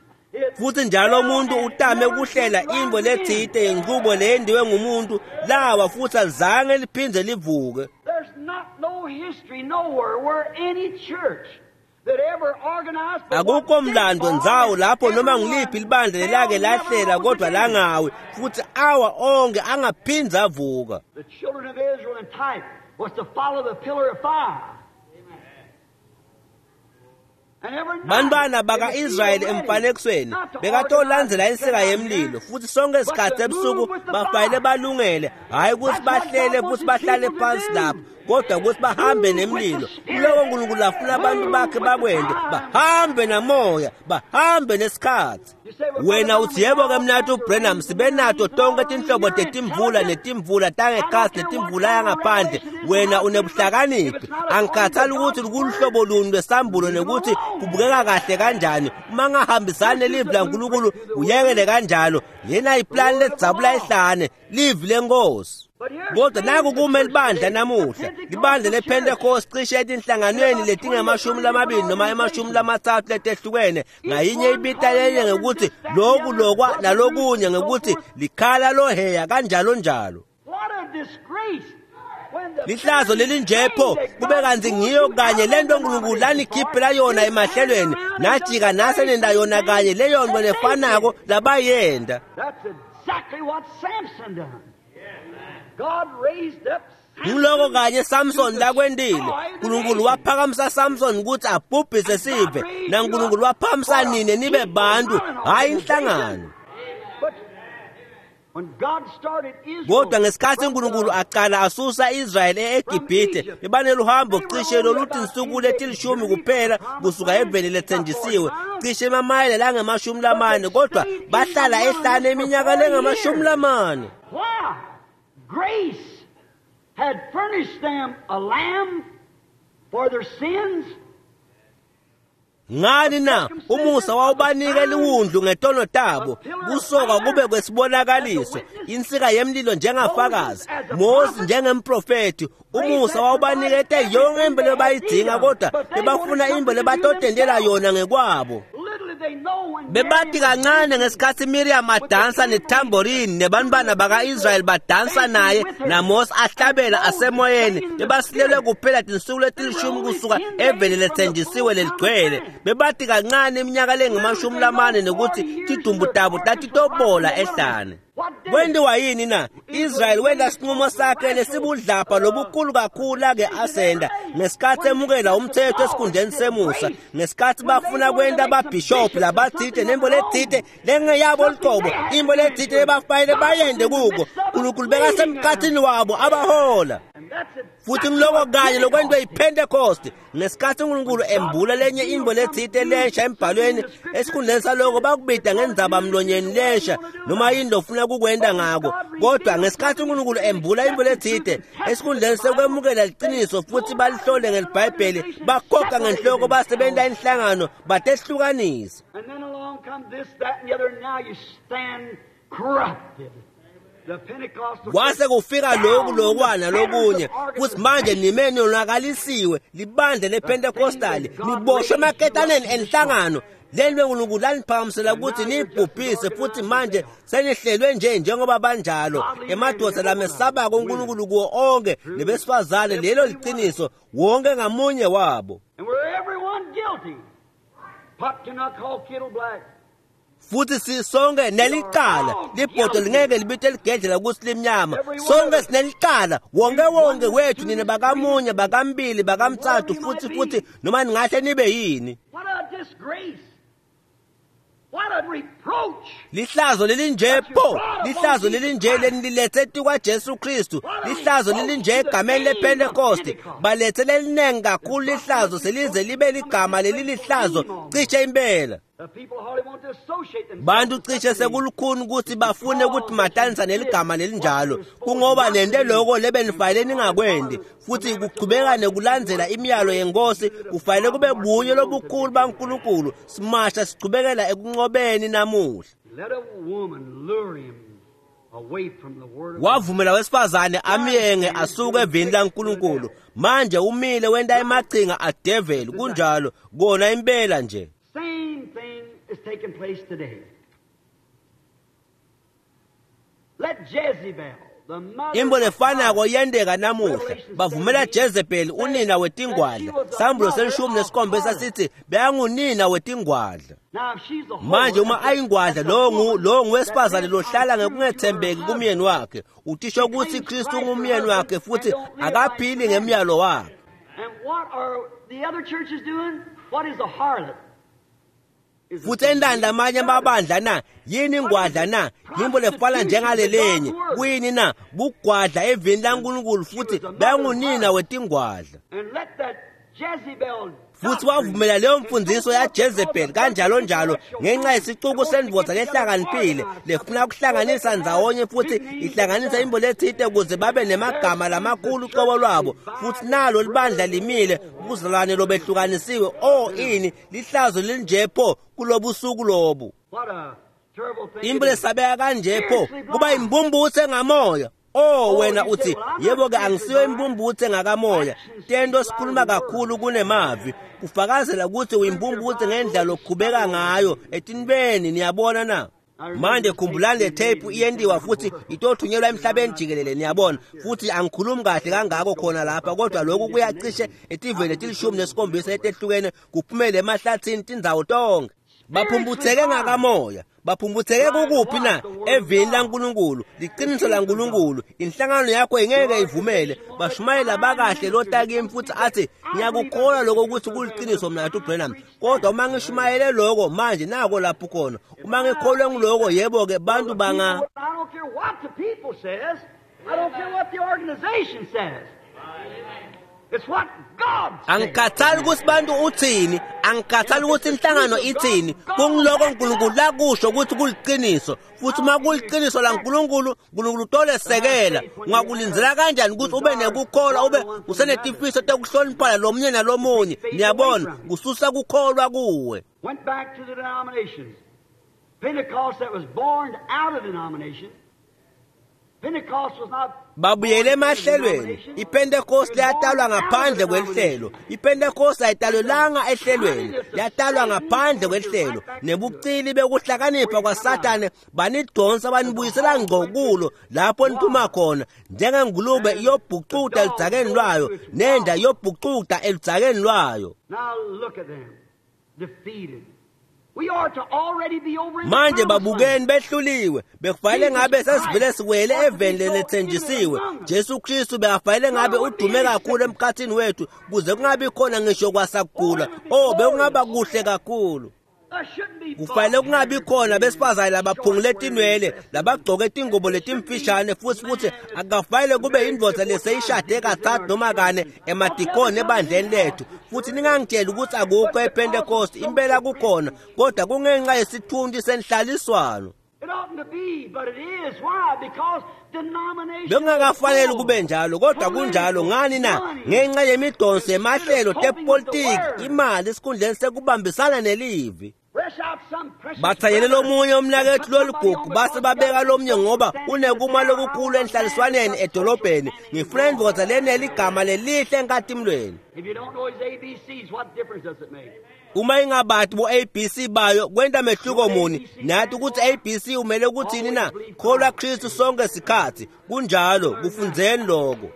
futhi njalo umuntu utame ukuhlela imbo lethite yenqubo leyendiwe ngumuntu lawa futhi alizange liphindze livuke. There's not no history nowhere where any church that ever organized akukho mlando ndzawo lapho noma ngiliphi libandla lelake lahlela kodwa langawi futhi awa onke angaphindze avuka. The children of Israel in type was to follow the pillar of fire. Bantwana baka-Israyeli emfanekisweni bekatolandzela insika yemlilo futhi sonke isikhathi ebusuku bafanele balungele hhayi ukuthi bahlele futhi bahlale phansi lapho kodwa ukuthi bahambe nemlilo. Kuloko uNkulunkulu afuna abantu bakhe bakwende, bahambe namoya, bahambe nesikhathi. Wena uthi yebo ke mnathu Branham sibe nato tonke tinhlobo tetimvula netimvula tangekhasi netimvula yangaphandle. Wena unebuhlakaniphi. Angikhathali ukuthi kuluhlobo luni lwesambulo nekuthi kubukeka kahle kanjani. Uma ngahambisani nelivi laNkulunkulu uyekele kanjalo. Yena iplani ledzabula ihlane, livi lenkosi. Kodwa naku kume libandla namuhla, libandla lePentecost cishe etinhlanganweni letingamashumi lamabili noma 30 letehlukene, ngayinye ibita lenye ngekuthi loku lokwa nalokunye ngekuthi likhala loheya kanjalo njalo. Lihlazo lelinjepho kube kanti ngiyo kanye lento uNkulunkulu lanikhiphela yona emahlelweni najika nasenenda yona kanye leyo nto lefanako labayenda. That's exactly what Samson done. God raised up Ngiloko kanye Samson lakwendile. uNkulunkulu waphakamisa Samson ukuthi abhubhise sive, naNkulunkulu waphakamisa nine nibe bantu, hayi inhlangano. Kodwa ngesikhathi uNkulunkulu aqala asusa Israyeli eGibhithe, bebaneluhambo cishe loluthi insuku letilishumi kuphela kusuka eveni lethenjisiwe, cishe emamayela langama-40, kodwa bahlala ehlane iminyaka lengama-40. Why? Grace had furnished them a lamb for their sins. Ngani na umusa wawubanika liwundlu ngetono tabo, kusoka kube kwesibonakaliso, insika yemlilo njengafakazi, Mose njengemprofethi. Umusa wawubanikete yonke into lebayidzinga, kodwa bebafuna into lebatotendela yona ngekwabo. Bebati kancane ngesikhathi Miriam adansa netamborini nebantwana baka-Israyeli badansa naye naMose ahlabela asemoyeni, bebasilelwe kuphela tinsuku letilishumi kusuka eveni lethenjisiwe leligcwele. Bebati kancane iminyaka lengama-40 nokuthi tidumbu tabo tatitobola ehlane. Kwenziwa yini na? Israyeli wenta sinqumo sakhe lesibudlabha lobukhulu kakhulu ake asenda ngesikhathi emukela umthetho esikhundleni semusa, ngesikhathi bafuna kwenta ababhishophu labathite nembo lethite lengeyabo luqobo, imbo lethite lebafanele bayende kuko. uNkulunkulu bekasemkhathini wabo abahola. Futhi ngiloko kanye lokwentiwe yiPentecost ngesikhathi uNkulunkulu embula lenye imbo lethite lensha embhalweni, esikhundleni saloko bakubida ngendzaba mlonyeni lensha noma yini lofuna kukwenta ngako. Kodwa ngesikhathi uNkulunkulu embula imbo lethite, esikhundleni sekwemukela liqiniso futhi balihlole ngelibhayibheli, bakhokha ngenhloko basebenta inhlangano batehlukanisa. And then along come this, that, and the other, and now you stand corrupted. Kwase kufika lokhu lokwa nalokunye futhi manje nime nonakalisiwe. Libandla lePentecostal niboshwe emaketaneni enhlangano leli uNkulunkulu laniphakamisela ukuthi nibhubhise, futhi manje senihlelwe nje njengoba banjalo emadoda lamesabako uNkulunkulu kuwo onke nebesifazane. Lelo liqiniso wonke ngamunye wabo. And we're everyone guilty. Pot cannot call kettle black. Futhi sisonke nelicala libhodo lingeke libite ligedlela ukuthi limnyama. Sonke sinelicala, wonke wonke wethu, nina bakamunye, bakambili, bakamthathu, futhi noma ningahle nibe yini. What a disgrace. What a reproach. Lihlazo lelinje pho, lihlazo lelinje lenilethe etikwa Jesu Kristu, lihlazo lelinje egameni lePentecost, balethe lelinengi kakhulu lihlazo selize libe ligama lelilihlazo cishe impela. The people hardly want to associate themselves. Bantu cishe sekulukhuni ukuthi bafune ukuthi matanisa neligama lelinjalo, kungoba nente loko lebenifanele ningakwendi, futhi kuchubeka nekulandzela imiyalo yenkosi kufanele kube bunye lobukhulu baNkulunkulu. Simasha sichubekela ekunqobeni namuhla. Let a woman lure him away from the word of God. Wavumela wesifazane amyenge asuke evini laNkulunkulu. Manje umile wenta emachinga adeveli, kunjalo kona impela nje. Same thing is taking place today. Let Jezebel, the mother Imbo of lefanako harlots, yenteka namuhla. Bavumela Jezebel unina wetingwadla. Sambulo se-17 sithi beyangunina wetingwadla. Now if she's a whore, Manje uma ayingwadla that's a lo woman lo ngowesifazane that lohlala lives ngokungethembeki untrue to her kumyeni wakhe. Utisho ukuthi Kristu ungumyeni wakhe futhi akaphili ngemiyalo wakhe. And what are the other churches doing? What is a harlot? Is a Futhi endani lamanye amabandla na yini ingwadla na yimbo lefana njengalelenye kuyini na bugwadla evini laNkulunkulu futhi beyangunina wetingwadla. And let that Jezebel Futhi wavumela leyo mfundiso yaJezebel kanjalo njalo ngenxa yesicuku sendvodza lehlakaniphile lefuna kuhlanganisa ndzawonye futhi ihlanganisa imbo lethite ukuze babe nemagama lamakhulu uqobo lwabo. Futhi nalo libandla limile buzalwane lobehlukanisiwe. O ini lihlazo lelinje pho kulobusuku lobu. What a terrible thing. Imbo it is. lesabeka kanje pho kuba imbumbuthe ngamoya. Oh wena uthi yebo ke angisiyo imbumbuthe ngakamoya. Tento sikhuluma kakhulu kunemavi kufakazela ukuthi uyimbumbuthe ngendlela lokukhubeka ngayo etinibeni, niyabona na. Manje khumbulani le tape iyendiwa futhi itothunyelwa emhlabeni jikelele, niyabona. Futhi angikhulumi kahle kangako khona lapha, kodwa lokhu kuyacishe etiveni leti-17 letehlukene kuphumele emahlathini tindzawo tonke. Baphumbutheke ngakamoya. Baphumbutheke kukuphi na? Evini laNkulunkulu, liqiniso laNkulunkulu. Inhlangano yakho ingeke ivumele. Bashumayela bakahle lotakimi futhi athi ngiyakukholwa lokho ukuthi kuliqiniso mina Branham, kodwa uma ngishumayele lokho manje nako lapho khona. Uma ngikholwe ngiloko, yebo ke bantu banga I don't care what the people says. I don't care what the organization says. It's what God says. Angikhathali ukuthi bantu uthini, angikhathali ukuthi inhlangano ithini, kungiloko uNkulunkulu lakusho ukuthi kuliqiniso. Futhi uma kuliqiniso laNkulunkulu, uNkulunkulu utolesekela. Ungakulindzela kanjani ukuthi ube nekukholwa ube usenetifiso tekuhloniphana lomunye nalomunye? Niyabona, kususa kukholwa kuwe. Went back to the denominations. Pentecost that was born out of denomination. Pentecost was not Babuyele emahlelweni. IPentecost yatalwa ngaphandle kwelihlelo. IPentecost ayitalwelanga ehlelweni, yatalwa ngaphandle kwelihlelo. Nebucili bekuhlakanipha kwaSathane banidonsa banibuyisela ngqo kulo lapho niphuma khona, njengengulube iyobhucuda eludzakeni lwayo, nenda iyobhucuda eludzakeni lwayo. Now look at them, defeated. We are to already be over in the Manje promised babukeni land. behluliwe, bekufanele ngabe sesivele siwele eveni lelethenjisiwe. Jesu Kristu bekafanele ngabe udume kakhulu emkhathini wethu kuze kungabi khona ngisho kwasakugula. Oh, bekungaba kuhle kakhulu. There shouldn't be Kufanele kungabi khona besifazane labaphungule tinwele, labagcoke tingubo letimfishane, futhi akufanele kube indvodza leseyishade kathathu noma kane emadikoni ebandleni lethu. Futhi ningangitsheli ukuthi akukho ePentecost, impela kukhona, kodwa kungenxa yesithunzi senhlaliswano. It oughtn't to be, but it is. Why? Because denomination. Bekungakafanele kube njalo, kodwa kunjalo. Ngani na? Ngenxa yemidonso yemahlelo tepolitiki, imali esikhundleni sekubambisana nelivi. Fresh out some precious Bathanyele brother lomunye umnakethu and put somebody loligugu on the base cross babeka just lomnye ngoba stand unekuma and say, lokukhulu enhlaliswaneni edolobheni. Ngifuna indvodza leneligama lelihle enkatimlweni. If you don't know his ABCs, what difference does it make? Uma ingabati bo-ABC bayo kwenta mehluko muni? Nathi ukuthi ABC umele ukuthini na? Kholwa Kristu sonke sikhathi. Kunjalo, kufundzeni lokho.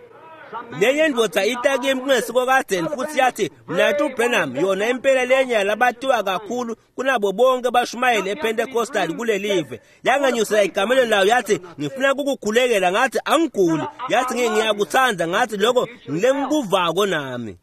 Lenye indvodza ita kimi kungesiko kadzeni futhi yathi, "Mnaketfu Branham, yona impela lenye yalabatiwa kakhulu kunabo bonke bashumayeli ePentecostal kulelive." Yangenyusela egamelweni layo yathi, "Ngifuna kukukhulekela." Ngathi, "Angiguli." Yathi, "Ngiyakutsandza." Ngathi, "Lokho ngilengikuvako nami."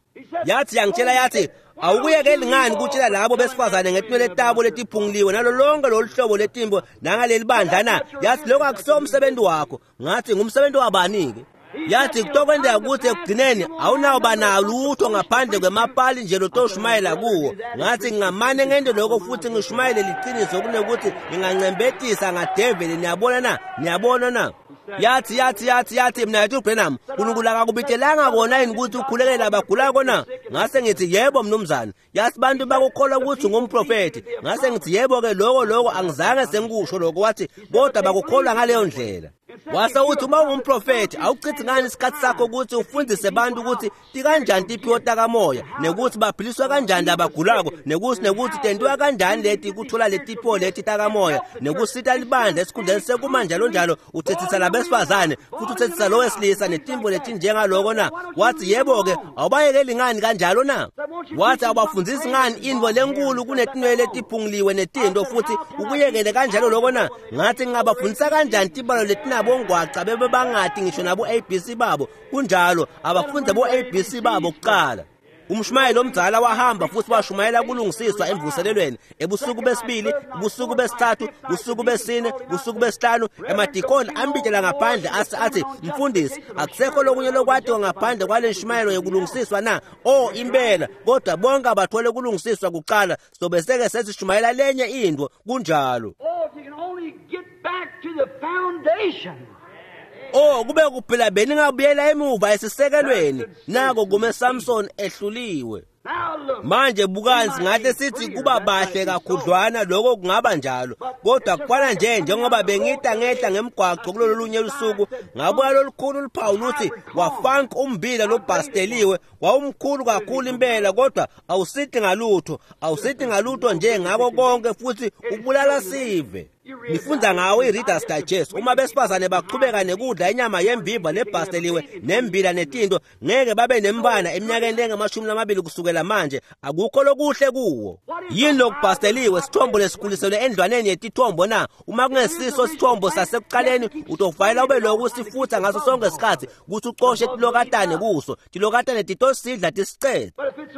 Yathi yangitshela yathi, "Awukuyekeli ngani kutshela labo besifazane ngetinwele tabo letiphunguliwe nalo lonke lolu hlobo letimbo nangaleli bandla na?" Yathi, "Lokho akusiwo umsebenzi wakho." Ngathi, "Ngumsebenzi wabani-ke?" Yathi, "Kutokwenzeka ukuthi ekugcineni awunawuba nalutho ngaphandle kwemapali nje lotoshumayela kuwo." Ngathi, "Ngingamane ngente lokho futhi ngishumayele liqiniso kunekuthi ngingancembetisa ngadeveli." Niyabona na? Niyabona na? Yathi yathi yathi yathi, "Mnaketfu Branham, uNkulunkulu akakubitelanga kona yini ukuthi ukhulekele abagulako na?" Ngase ngithi, "Yebo mnumzane." Yathi, "Bantu bakukholwa ukuthi ungumprofethi." Ngase ngithi, "Yebo-ke, lokho angizange sengikusho lokho." Wathi, "Kodwa bakukholwa ngaleyo ndlela." Wase uthi, "Uma ungumprofethi, awuchithi ngani isikhathi sakho ukuthi ufundise abantu ukuthi tikanjani tiphiwo takamoya, nekuthi baphiliswa kanjani labagulako, nekuthi tentiwa kanjani leti kuthola letiphiwo leti takamoya, nekusita libandla esikhundleni sekuma njalo njalo uthethisa labesifazane futhi uthethisa lo wesilisa netimbo letinjengaloko na?" Wathi, "Yebo-ke, awubayekeli ngani kanjalo na?" Wathi, "Awubafundisi ngani intfo lenkulu kunetinwele letiphunguliwe netinto futhi ukuyekele kanjalo loko na?" Ngathi, "Ngingabafundisa kanjani tibalo letinabo ngwaca bebe bangati ngisho nabo ABC babo?" Kunjalo, abafunde bo ABC babo kuqala. Umshumayeli omdala wahamba futhi washumayela kulungisiswa emvuselelweni ebusuku besibili, ubusuku besithathu, ubusuku besine, ubusuku besihlanu. Emadikoni ambitela ngaphandle athi, "Mfundisi, akusekho lokunye lokwatiwa ngaphandle kwale nshumayelo yokulungisiswa na?" "Oh impela, kodwa bonke abathole kulungisiswa kuqala, sobe seke sesishumayela lenye into." Kunjalo. Oh, if you can only get back to the foundation. Oh, kube kuphela beningabuyela emuva esisekelweni. Nako kume Samson ehluliwe. Manje bukani, singahle sithi kuba bahle kakhudlwana, lokho kungaba njalo, kodwa kufana nje njengoba bengita ngehla ngemgwaqo kulolu lunye lusuku, ngabuka lolukhulu luphawu luthi wafank umbila lobhasteliwe. Wawumkhulu kakhulu impela, kodwa awusithi ngalutho, awusithi ngalutho nje ngako konke, futhi ubulala sive. Nifunda ngawo i-Reader's Digest. Uma besifazane baqhubeka nekudla inyama yembiva lebhasteliwe nembila netinto, ngeke babe nembana eminyakeni engamashumi kusukela manje. Akukho lokuhle kuwo. Yini lokubhasteliwe? Sithombo lesikhuliselwe endlwaneni yetithombo na? Uma kungesiso sithombo sasekuqaleni, utofanele ube lokhu usifutha ngaso sonke isikhathi ukuthi ucoshe tilokatane kuso. Tilokatane titosidla tisicele.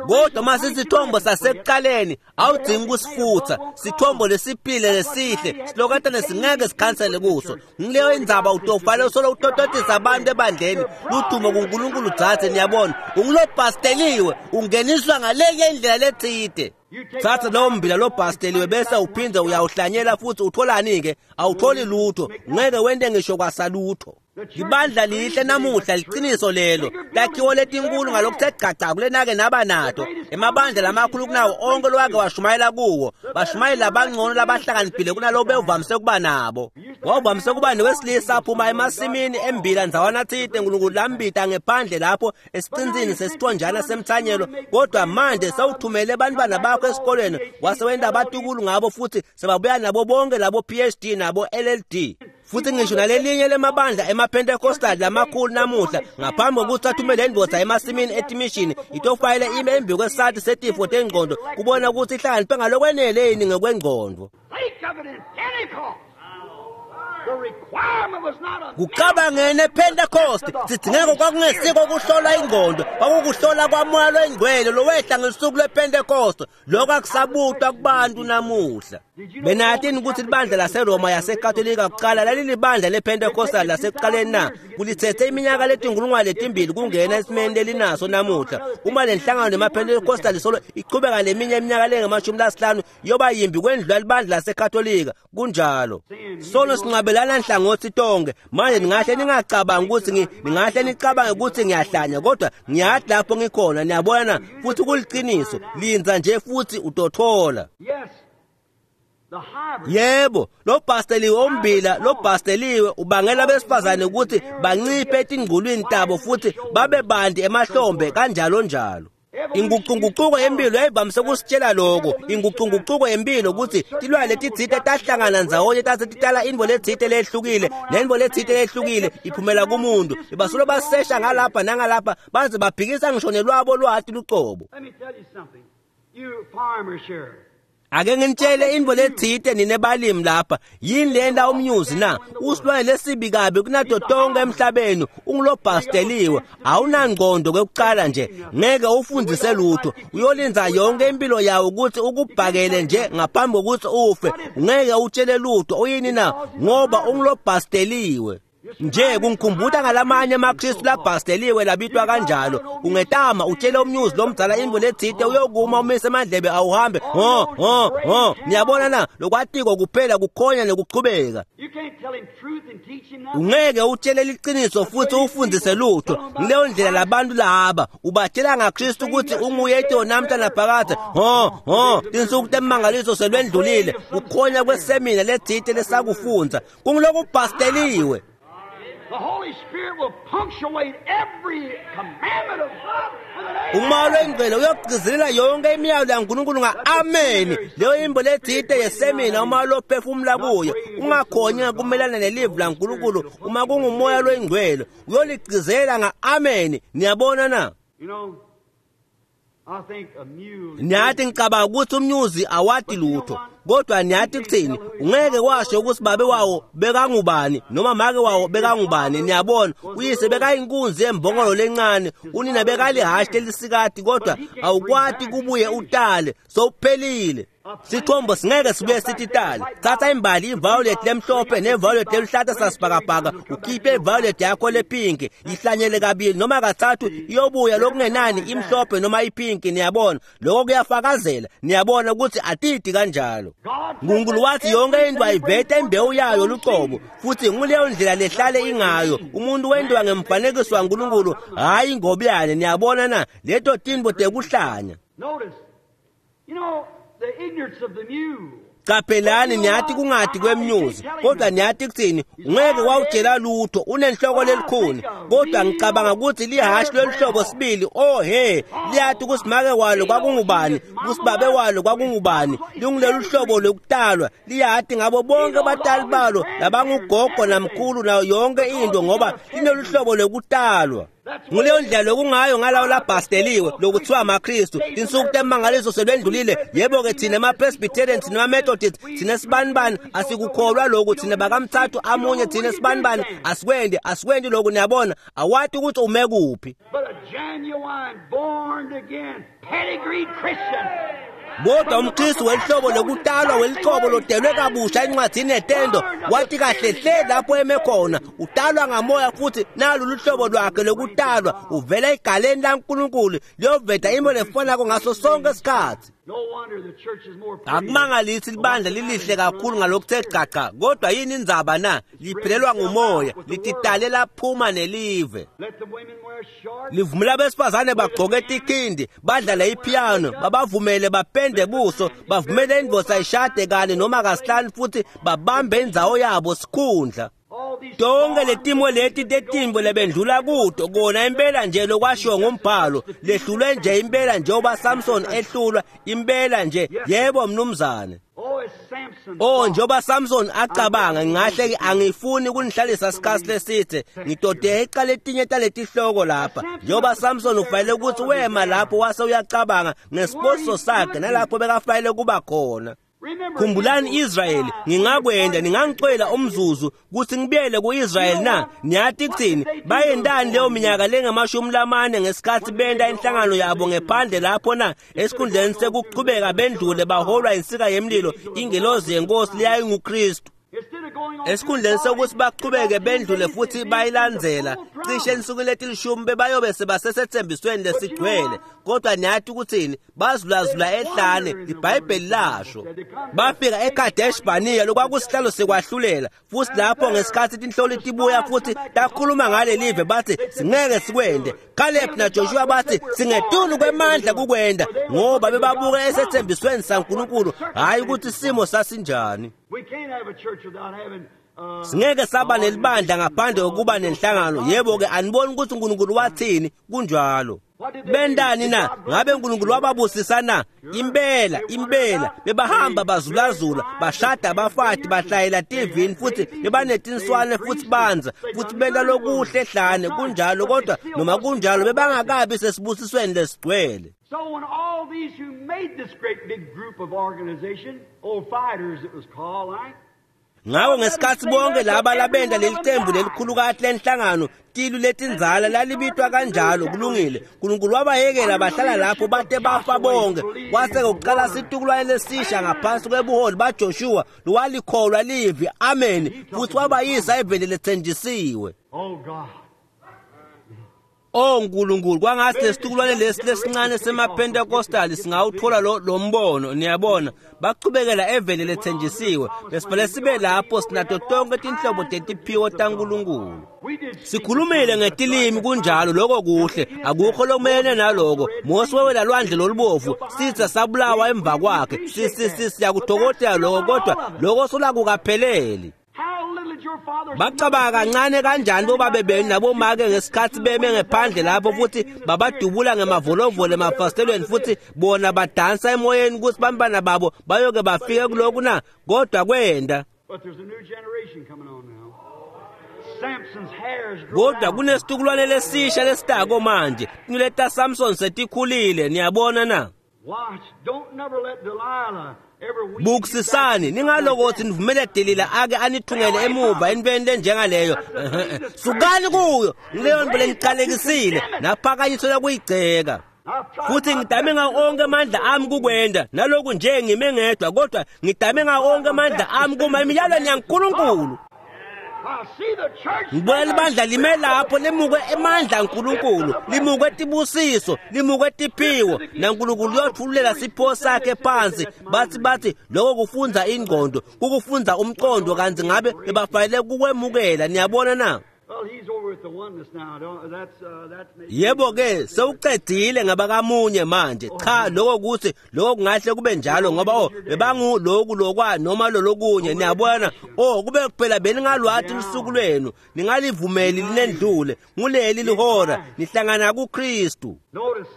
Kodwa uma sisithombo sasekuqaleni, awudingi ukusifutha. Sithombo lesiphile lesihle, silokatane singeke sikhansele kuso. Ngileyo indzaba utofanele usolo utototisa abantu ebandleni ludumo kuNkulunkulu. Dzadze, niyabona, ungulobhasteliwe, ungeniswa ngalenye indlela letsite. Thatha lowo mbila lobhasteliwe bese uphinde uyawuhlanyela futhi utholani-ke? Awutholi lutho, ngeke wente ngisho kwasalutho. Libandla lihle namuhla, liqiniso lelo. Takhiwo letinkulu ngalokuthe gaca kulenake naba nato. Emabandla lamakhulu kunawo onke lowake washumayela kuwo. Bashumayeli labangcono labahlakaniphile kunalobo bewuvamise kuba nabo. Wawuvamise kuba newesilisa aphuma emasimini embila ndzawana tsite, uNkulunkulu lambita ngephandle lapho esicinzini sesithonjana semthanyelo. Kodwa manje sewuthumele abantwana bakho esikolweni, wase wenta abatukulu ngabo futhi sebabuya nabo bonke labo PhD nabo LLD. Futhi ngisho nalelinye lemabandla emaPentecostal lamakhulu namuhla, ngaphambi kokuthi athumele indvodza emasimini etimishini, itofayele ime embi kwesati setifo tengqondo kubona ukuthi ihlakaniphe ngalokwenele yini ngekwengqondo. Think of it in Pentecost. The requirement was not a Kucabangene ePentecost, sidingeko kwakungesiko kuhlola ingqondo, kwakukuhlola kwamoya lwengcwele lowehla ngesuku lwePentecost. Lokho akusabutwa kubantu namuhla. Benatini ukuthi libandla laseRoma yaseKatolika kuqala lalilibandla lePentecostal lasekuqaleni na? Kulithethe iminyaka letinkulungwane letimbili kungena esimeni lelinaso namuhla. Uma le nhlangano nemaPentecostal solo iqhubeka leminye iminyaka lengamashumi lasihlanu, yoba yimbi kwendlula libandla laseKatolika. Kunjalo. Sono sinqabelana nhlangothi tonke. Manje ningahle ningacabangi ukuthi ningahle nicabange ukuthi ngiyahlanya, kodwa ngiyathi lapho ngikhona, niyabona, futhi kuliqiniso. Linza nje futhi utothola. Yes. The hybrid. Yebo, lo bhasteliwe ombila, lo bhasteliwe ubangela besifazane ukuthi banciphe etingculwini tabo futhi babe banti emahlombe kanjalo njalo. Ingucungucuko yempilo yayivamise kusitshela lokho. Ingucungucuko yempilo ukuthi tilwane letitsite tahlangana ndzawonye tase titala intfo letsite lehlukile, nentfo letsite lehlukile iphumela kumuntu. Bebasolo basesha ngalapha nangalapha baze baphikisa ngisho nelwabo lwati lucobo. Let me tell you something. You farmers here. Ake nginitshele intfo letsite nine balimi lapha. Yini lenta umnyuzi na? Usilwane lesibi kabi kunato tonke emhlabeni, ungulobhasteliwe, awunangqondo kwekucala nje, ngeke ufundzise lutho. Uyolinza yonke impilo yawo ukuthi ukubhakele nje ngaphambi kokuthi ufe. Ungeke utshele lutho, uyini na? Ngoba ungulobhasteliwe. Nje kungikhumbuta ngalamanye amaKristu labhasteliwe labitwa kanjalo. Ungetama utshele umnyuzi lomdzala intfo letsite, uyokuma umise emadlebe awuhambe. Ho ho ho, niyabona na? Lokwatiko kuphela kukhonya nekuchubeka. You can't tell him truth and teach him nothing. Ungeke utshele liciniso futhi ufundzise lutho. Ngileyo ndlela labantu laba ubatshela ngaKristu ukuthi unguye itolo namhla naphakadze. Ho ho, tinsuku temangaliso selwendlulile. Kukhonya kwesemina letsite lesakufundza kungulokubhasteliwe. The Holy Spirit will punctuate every commandment of God with an amen. Umoya lwengcwele uyogcizelela yonke imiyalo yaNkulunkulu nga-ameni. Leyo imbo letsite yesemina umoya lophefumula kuyo. Ungakhonyi ngakumelana nelivi laNkulunkulu uma kungumoya lwengcwele uyoligcizelela nga-ameni. Niyabona na? You know, I think a mule. Niyathi ngicabanga ukuthi umnyuzi awati lutho, kodwa niyathi kuthini? Ungeke washo ukuthi babe wawo bekangubani noma make wawo bekangubani. Niyabona, uyise bekayinkunzi yembongolo lencane, unina bekalihashi lelisikati, kodwa awukwati kubuye utale, sowuphelile. Sithombo singeke sibuye sithi tale. Thatha imbali iviolet lemhlophe neviolet leluhlata sasibhakabhaka, ukhiphe iviolet yakho lepinki, ihlanyele kabili noma kathathu, iyobuya lokungenani imhlophe noma ipinki. Niyabona, lokho kuyafakazela. Niyabona ukuthi atidi kanjalo. Nkulunkulu wathi yonke into ayivete imbewu yayo lucobo, futhi nguleyo ndlela lehlale ingayo. Umuntu wentiwa ngemfanekiso waNkulunkulu, hhayi ingobiyane. Niyabona na? Leto tintfo tekuhlanya. Notice, you know, the ignorance of the mule. Caphelani, niyathi kungadi kwemnyuzi, kodwa niyathi kuthini? Ungeke wawutshela lutho, unenhloko lelikhuni. Kodwa ngicabanga ukuthi lihashi loluhlobo sibili, oh he, liyathi ukuthi make walo kwakungubani, ukuthi babe walo kwakungubani. Lingulelu hlobo lokutalwa, liyati ngabo bonke batali balo labangugogo namkhulu nayo yonke into, ngoba linolu hlobo lokutalwa. Nguleyo ndlela lokungayo ngalawo labhasteliwe lokuthiwa amaKristu. Tinsuku temangaliso selwendlulile. Yebo-ke thina ema-Presbyterian, thina ema-Methodist, thina sibanibani asikukholwa lokhu, thina bakamthathu amunye, thina sibanibani asikwende, asikwenti lokhu. Niyabona, awati ukuthi ume kuphi. But a genuine, born again, pedigreed Christian. Kodwa umKristu welihlobo lokutalwa welihlobo lodelwe kabusha encwadini yetendo wathi kahle hle lapho eme khona, utalwa ngamoya futhi nalu luhlobo lwakhe lokutalwa uvela egaleni laNkulunkulu liyoveta imo lefanako ngaso sonke isikhathi. No wonder the church is more pretty. Akumangalisi libandla lilihle kakhulu ngalokuthe gaga, kodwa yini indzaba na? Liphelelwa ngumoya, lititale laphuma nelive. Let the women wear shorts. Livumela abesifazane bagqoke tikhindi, badlale ipiano, babavumele bapende buso, bavumele indvodza ishade kane noma kasihlanu futhi babambe indzawo yabo sikhundla. All these Tonke letimo leti tetimbo lebendlula kuto kona impela nje lokwashiwo ngumbhalo, lehlulwe nje impela njengoba Samson ehlulwa impela nje. Yebo mnumzane. Oh, it's Samson. Oh, njengoba Samson acabanga, ngingahle ke angifuni kunihlalisa isikhathi lesithe, ngidode icala etinye taletihloko lapha. Njengoba Samson ufanele ukuthi wema lapho wase uyacabanga ngesiposiso sakhe nalapho bekafanele kuba khona. Remember, Khumbulani Israyeli, ngingakwenda ningangicela umzuzu ukuthi ngibuyele kuIsrayeli na? Niyathi kuthini? Bayendani leyo minyaka lengamashumi lamane ngesikhathi benta inhlangano yabo ngephandle lapho na? Esikhundleni sekuchubeka bendlule baholwa insika yemlilo, ingelozi yenkosi leyayinguKristu. instead of going on Esikhundleni sokuthi baqhubeke bendlule futhi bayilandzela, cishe ensukwini letilishumi bebayobe sebasesethembisweni lesigcwele. Kodwa niyathi ukuthini? Bazulazula ehlane, iBhayibheli lasho. Bafika eKadesh Barnea, lokwakusihlalo sekwahlulela, futhi lapho ngesikhathi tinhloli tibuya futhi takhuluma ngale live bathi singeke sikwende. Caleb naJoshua bathi singetulu kwemandla kukwenda, ngoba bebabuka esethembisweni saNkulunkulu, hhayi ukuthi isimo sasinjani. We can't have a church without having Singeke saba nelibandla ngaphandle kokuba nenhlangano. Yebo-ke, aniboni ukuthi uNkulunkulu wathini? Kunjalo. Bendani na? Ngabe uNkulunkulu wababusisa na? Impela, impela. Bebahamba bazulazula, bashada abafati, bahlayela tivini futhi bebanetinswane futhi banza, futhi benta lokuhle ehlane. Kunjalo, kodwa noma kunjalo bebangakabi sesibusisweni lesigcwele. So when all these who made this great big group of organization, old fighters it was called, right? Ngakho ngesikhathi bonke laba labenda leli qembu lelikhulukazi lenhlangano tilu letinzala lalibitwa kanjalo, kulungile. uNkulunkulu wabayekela bahlala lapho bate bafa bonke. Kwase kuqala situkulwane lesisha ngaphansi kwebuholi baJoshua lowalikholwa livi, amen, futhi wabayisa eveni lethenjisiwe. Oh God. Oh Nkulunkulu, kwangathi lesitukulwane lesi lesincane semaPentecostal singawuthola lo mbono. Niyabona, bachubekela eveni lethenjisiwe. Besifanele sibe lapho sinato tonke tinhlobo tetiphiwo taNkulunkulu. Sikhulumile ngetilimi, kunjalo, lokho kuhle, akukho lokumelene naloko. Mose wewela lwandle lolubovu, sitha sabulawa emva kwakhe. Siyakudokotela lokho, kodwa lokho solakukapheleli. How little did your fathers Bacabanga kancane kanjani bobabe benu nabomake ngesikhathi beme ngephandle lapho futhi babadubula ngemavolovolo emafasitelweni futhi bona badansa emoyeni ukuthi bantwana babo bayoke bafike kulokhu na? Kodwa kwenda. But there's a new generation coming on now. Samson's hair's Kodwa grown out. kunesitukulwane lesisha lesitako manje. Tinwele Samson setikhulile, niyabona na? Watch. Don't never let Delilah ever weave you Bukisisani, back. ningalokothi nivumele Delila ake anithungele emuva entweni lenjengaleyo. Sukani kuyo, ngileyo nto leniqalekisile, naphakanyiswa kuyigceka. I've tried Futhi my ngidame best. ngawo onke amandla ami kukwenda, naloku nje ngime ngedwa, kodwa ngidame ngawo onke amandla ami kuma emiyalweni yaNkulunkulu. I see the church. Ngibona libandla lime lapho limukwe emandla aNkulunkulu, limukwe tibusiso, limukwe tiphiwo, naNkulunkulu uyothululela sipho sakhe phansi. Bathi lokho kufunza ingqondo, kukufunza umqondo, kanti ngabe bebafanele kukwemukela. Niyabona na? Well, he's over at the oneness now. Don't, that's maybe. Yebo ke, sewucedile ngabakamunye manje. Cha, lokho kuthi lokho kungahle kube njalo ngoba oh bebangu lokhu lokwa noma lolokunye. Niyabona? Oh, kube kuphela beningalwathi lusuku lwenu, ningalivumeli linendlule. Nguleli lihora nihlangana kuKristu. Notice.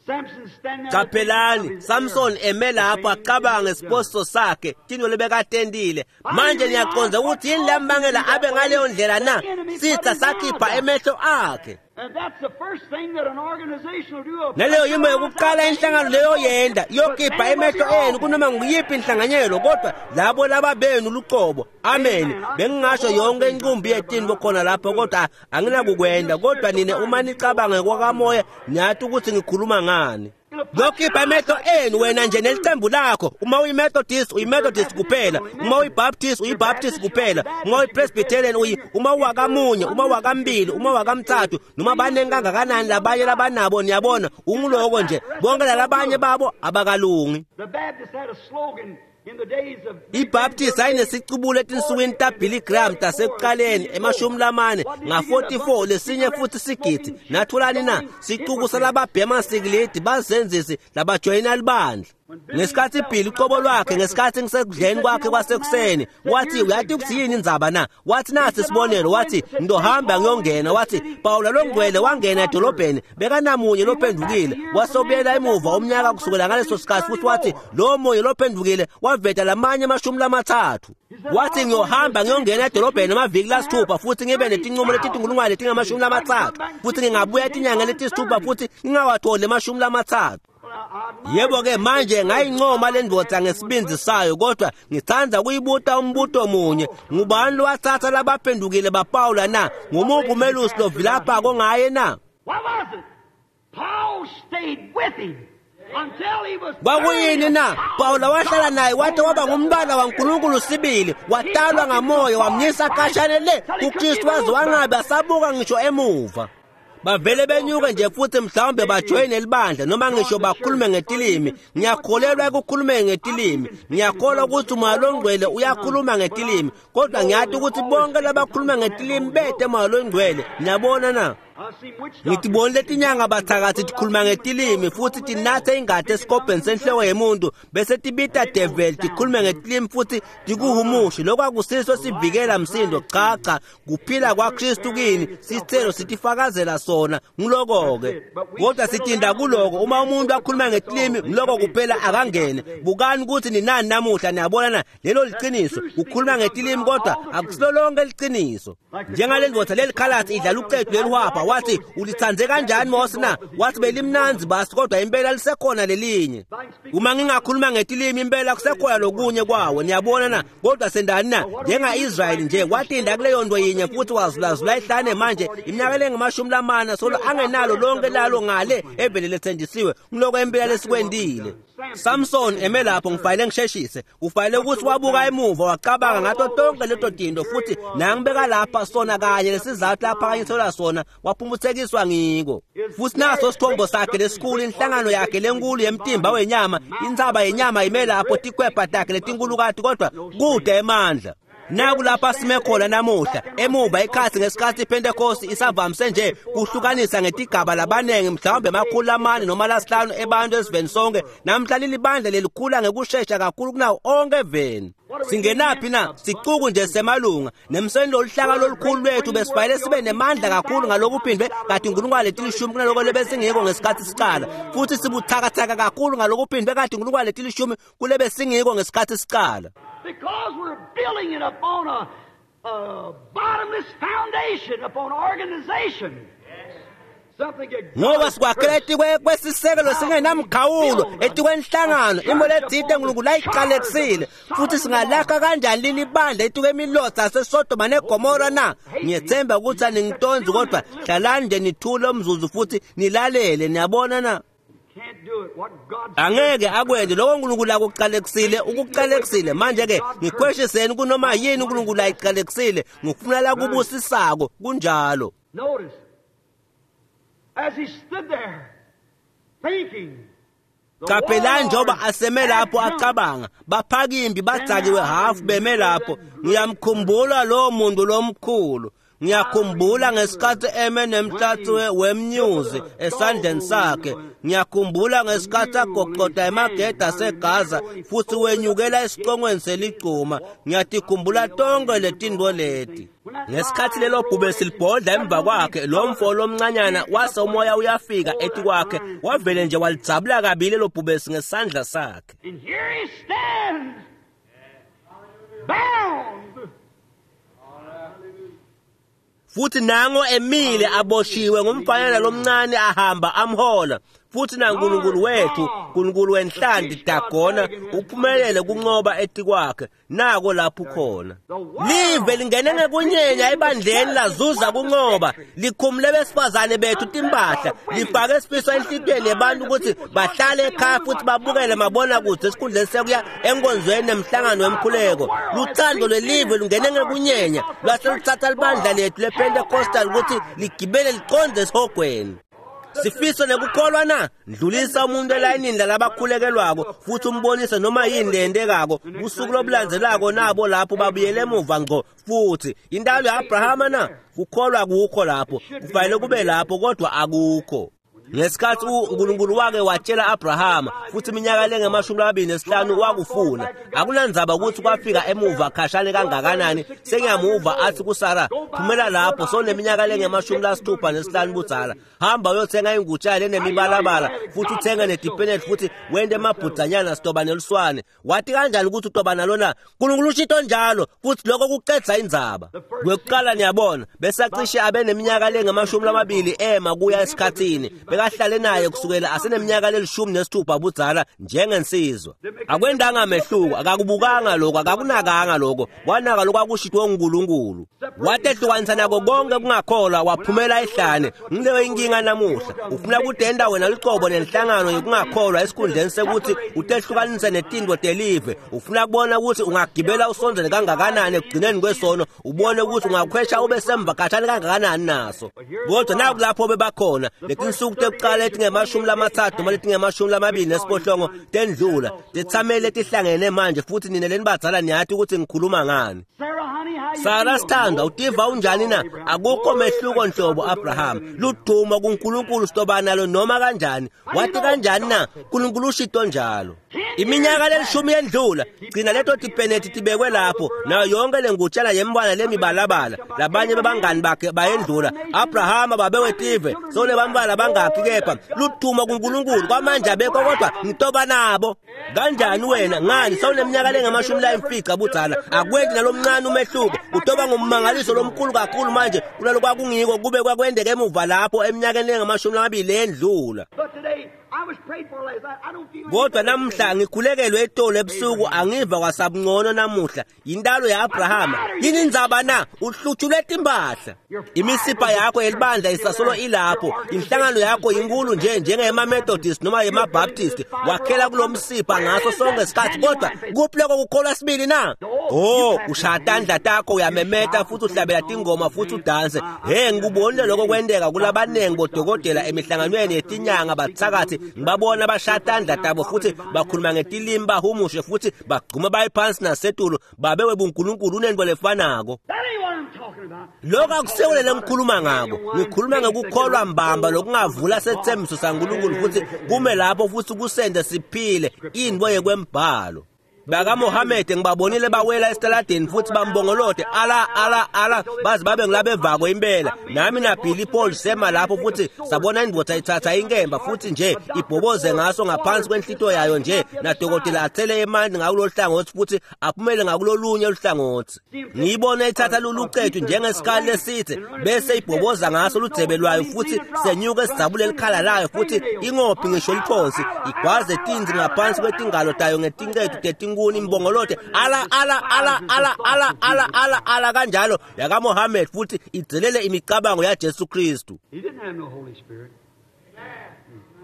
Samson standing there. Qaphelani, Samson eme lapho acabanga ngesiposo sakhe, tinwele bekatendile. Manje niyaqonda ukuthi yini lambangela abe ngaleyo ndlela na? Sitha sakhipha emehlo akhe. And that's the first thing that an organization will do. Naleyo yimo yokuqala inhlangano leyo yenda iyokhipha emehlo enu kunoma nguyiphi inhlanganyelo, kodwa labo laba benu luqobo. Amen. Bengingasho yonke inqumbi yetini khona lapho, kodwa anginakukwenda. Kodwa nina uma nicabanga kwakamoya niyathi ukuthi ngikhuluma ngani. Lokhipha emehlo enu wena nje nelicembu lakho. Uma uyiMethodist, uyiMethodist kuphela. Uma uyiBaptist, uyiBaptist kuphela. Uma uyiPresbyterian, uyi uma uwakamunye, uma wakambili, uma wakamthathu, noma baningi kangakanani labanye labanabo, niyabona, unguloko nje. Bonke lalabanye babo abakalungi. The Baptists had a slogan in the days of iBaptist ayinesicubulo etinsukwini taBilly Graham tasekuqaleni emashumi lamane nga-44 lesinye futhi sigidi. Natholani na? Sicuku salababhema sikilidi bazenzisi labajoyina libandla. Ngesikhathi iBilly uqobo lwakhe, ngesikhathi ngisekudleni kwakhe kwasekuseni, wathi uyathi ukuthi yini indzaba na? Wathi nasi isibonelo, wathi ngizohamba ngiyongena. Wathi Pawula longcwele wangena edolobheni bekanamunye lophendukile, wasobuyela emuva umnyaka kusukela ngaleso sikhathi, futhi wathi lo munye lophendukile waveta lamanye 30. Wathi ngiyohamba ngiyongena edolobheni amaviki lasithupha futhi ngibe netinqumo letitinkulungwane letingamashumi lamatsatfu, futhi ngingabuya etinyangeni letisithupha futhi ngingawatholi 30. Yebo ke, manje ngayincoma le ndoda ngesibindi sayo, kodwa ngithanda kuyibuta umbuto munye. Ngubani lowathatha labaphendukile baPawula na? Ngumuphi umelusi lovilapha kongaye na? What was it? Paul stayed with him until he was Kwakuyini na? Pawula wahlala naye wathi waba ngumntwana waNkulunkulu sibili, watalwa ngamoya, wamnyisa kashane le kuKristu waze wangabe asabuka ngisho emuva. Bavele benyuke nje futhi mhlawumbe bajoyine libandla noma ngisho bakhulume ngetilimi. Ngiyakholelwa ekukhulumeni ngetilimi, ngiyakholwa ukuthi umoya longcwele uyakhuluma ngetilimi, kodwa ngiyathi ukuthi bonke labakhuluma ngetilimi bete moya longcwele. Niyabona na? Ngitibonile tinyanga bathakathi tikhuluma ngetilimi futhi tinathe ingati esikobheni senhloko yemuntu bese tibita devil tikhulume ngetilimi futhi tikuhumushe. Lokho akusiso sivikela msindo, cha cha, kuphila kwaKristu kini, sithelo sitifakazela sona. Ngiloko-ke kodwa sitinda kuloko. Uma umuntu akhuluma ngetilimi, ngiloko kuphela, akangene. Bukani ukuthi ninani namuhla, niyabona na? Lelo liciniso, ukhuluma ngetilimi kodwa akusilo lonke liciniso. Njengale ndoda lelikhalasi idlala uqedu lelihwabha, wathi ulithandze kanjani Mose na? Wathi belimnanzi basi, kodwa impela lisekhona lelinye. Uma ngingakhuluma ngetilimi, impela kusekhona lokunye kwawo, niyabona na? Kodwa sendani na? Njenga-Israyeli nje watinda kuleyo nto yinye futhi wazulazula ihlane manje iminyaka lengamashumi lamane solo angenalo lonke lalo ngale evele lethenjisiwe. Ngiloko impela lesikwendile. Samson eme lapho, ngifanele ngisheshise, kufanele ukuthi wabuka emuva wacabanga ngato tonke leto tinto, futhi nangibeka lapha sona kanye lesizathu laphakanyiselwa sona, waphumputhekiswa ngiko. Futhi naso sithombo sakhe lesikhulu, inhlangano yakhe lenkulu yemtimba wenyama, intsaba yenyama ime lapho, tikwebha takhe letinkulukati, kodwa kude emandla. Naku lapha sime khona namuhla, emuva ikhathi ngesikhathi iPentecost isavamise nje kuhlukanisa ngetigaba labanengi, mhlawumbe 400 noma 500 ebantu esiveni sonke. Namhla lilibandla lelikhula ngekushesha kakhulu kunawo onke eveni. Singenaphi na? Sicuku nje semalunga nemseni. Loluhlaka lolukhulu lwethu besifanele sibe nemandla kakhulu ngalokuphindwe kade 10,000 kunaloko lebesingiko ngesikhathi siqala, futhi sibuthakathaka kakhulu ngalokuphindwe kade 10,000 kulebesingiko ngesikhathi siqala. Because we're building it upon a bottomless foundation, upon organization. Something that Ngoba sikwakhela etikwe kwesisekelo singenamkhawulo, etikwenhlangano, imo letsite uNkulunkulu ayiqalekisile. Futhi singalakha kanjani leli bandla etikwemilotha yaseSodoma neGomora na? Ngiyethemba ukuthi aningitondi, kodwa hlalani nje nithule umzuzu futhi nilalele, niyabona na? Can't do it. What God Angeke akwenze lokho uNkulunkulu akuqalekisile, ukuqalekisile. Manje-ke ngikhweshiseni kunoma yini uNkulunkulu ayiqalekisile, ngifuna la kubusisako kunjalo. Notice, as he stood there, thinking, the Qaphelani njengoba warlords aseme lapho had come. acabanga, baphakimbi badzakiwe hafu beme lapho. Ngiyamkhumbula lowo muntu lomkhulu. Ngiyakhumbula ngesikhathi eme nemhlatsi wemnyuzi esandleni sakhe. Ngiyakhumbula ngesikhathi agoqoda emagede aseGaza futhi wenyukela esicongweni seligcuma. Ngiyatikhumbula tonke letinto leti. Ngesikhathi lelo bhubesi libhodla emva kwakhe, lo mfo lomncanyana wase umoya uyafika etikwakhe, wavele nje walidzabula kabili lelo bhubesi ngesandla sakhe. And here he stands, bound. Futhi nango emile aboshiwe ngumfanyana lomncane ahamba amhola. Futhi naNkulunkulu wethu, Nkulunkulu wenhlanti Dagona, uphumelele kunqoba etikwakhe. Nako lapho khona live lingene ngekunyenya ebandleni, lazuza kunqoba, likhumule besifazane bethu timpahla, lifake isifiso enhlitiyweni yebantu ukuthi bahlale ekhaya futhi babukele mabonakude esikhundleni sekuya enkonzweni nemhlangano wemkhuleko. Luthando lwelive lungene ngekunyenya lwase luthatha libandla lethu lePentecostal ukuthi ligibele liqonde esihogweni. Sifiso nekukholwa na? Ndlulisa umuntu elayinini lalabakhulekelwako futhi umbonise noma yini leyentekako busuku lobulandzelako, nabo lapho babuyele emuva ngco. Futhi intalo ya-Abrahama na? Kukholwa kukho lapho, kufanele kube lapho, kodwa akukho. Ngesikhathi uNkulunkulu wake watshela Abrahama futhi iminyaka lengamashumi 25 wakufuna, akunandzaba ukuthi kwafika emuva khashane kangakanani. Sengiyamuva athi kuSara, "Phumela lapho, soneminyaka lengamashumi 65 budzala, hamba uyothenga ingutshana enemibalabala futhi uthenge nedipeneti futhi wente emabhudzanyana, sitoba neluswane." Wathi kanjani ukuthi utoba nalona? Nkulunkulu ushito njalo, futhi lokho kucedza indzaba. Kwekuqala niyabona, besacishe abe neminyaka lengamashumi 20 ema kuya esikhathini, bekahlale naye kusukela aseneminyaka lelishumi nesithupha budzala njengensizwa. Akwendanga mehluko, akakubukanga lokho, akakunakanga lokho, wanaka lokho akushitwe nguNkulunkulu. Watehlukanisa nako konke kungakholwa, waphumela ehlane. Ngileyo inkinga namuhla, ufuna kudenda wena lucobo nenhlangano yokungakholwa esikhundleni sekuthi utehlukanise netinto telive. Ufuna kubona ukuthi ungagibela usondzele kangakanani ekugcineni kwesono, ubone ukuthi ungakhwesha ube semva khatshana kangakanani naso. Kodwa naku lapho bebakhona, letinsuku tekuqala letingemashumi 30 noma letingemashumi 28 tendlula, tetsameli letihlangene manje, futhi nine lenibadzala niyati ukuthi ngikhuluma ngani. Sarah, honey, Sara sithandwa, utiva unjani na? Akukho mehluko nhlobo Abraham. Ludumo kuNkulunkulu sitoba nalo noma kanjani. Wathi kanjani na? uNkulunkulu ushito njalo. Iminyaka lelishumi yendlula, gcina leto tipeneti tibekwe lapho, nayo yonke lengutshana yembala lemibalabala. Labanye babangani bakhe bayendlula. Abrahama babe wetive, sole bambala bangaphi kepha ludumo kuNkulunkulu kwamanje abekho kodwa ngitoba nabo. Kanjani wena ngani sawuneminyaka lengamashumi layimfica budzala akwenti nalomncane umehluko utoba ngummangaliso lomkhulu kakhulu manje kunalo kwakungiko kube kwakwendeka emuva lapho eminyakeni lengamashumi lamabili endlula. Kodwa namuhla ngikhulekelwe etolo ebusuku angiva kwasabungcono namuhla yintalo ya-Abrahama. Yini indzaba na? Uhlutshulwe timpahla. Imisipha yakho yelibandla isasolo ilapho. Inhlangano yakho inkulu nje njengema-Methodist noma yema-Baptist. Wakhela kulo msipha ngaso sonke isikhathi kodwa kuphi lokho kukholwa sibili na? Oh, ushaya tandla takho uyamemeta futhi uhlabela tingoma futhi udanse. Hey, ngikubonile lokho kwenteka kulabaningi bodokotela emihlanganweni yetinyanga bathakathi ngibabona bashaya tandla tabo futhi bakhuluma ngetilimi bahumushe futhi bagcuma baye phansi nasetulu babe webunkulunkulu unento lefanako. Lokho akusiwo lele ngikhuluma ngako. Ngikhuluma ngokukholwa mbamba lokungavula sethembiso saNkulunkulu futhi kume lapho futhi kusende siphile into yekwembhalo. BakaMohamede ngibabonile bawela esitaladeni futhi bambongolote ala ala ala baze babe ngilabevako impela. Nami na Billy Paul sema lapho futhi sabona indvodza ithatha inkemba futhi nje ibhoboze ngaso ngaphansi kwenhlito yayo nje nadokotela athele emanti ngakulolu hlangothi futhi aphumele ngakulolunye oluhlangothi. Ngiyibona ithatha lulucethu njengesikali lesithe bese ibhoboza ngaso ludzebe lwayo futhi senyuka esidzabule likhala layo futhi ingophi ngisho liphonsi igwaze tinzi ngaphansi kwetingalo tayo ngetincethu tetinkuni imbongolote ala ala ala ala ala ala ala ala kanjalo yakaMohammed futhi idzelele imicabango yaJesu Kristu.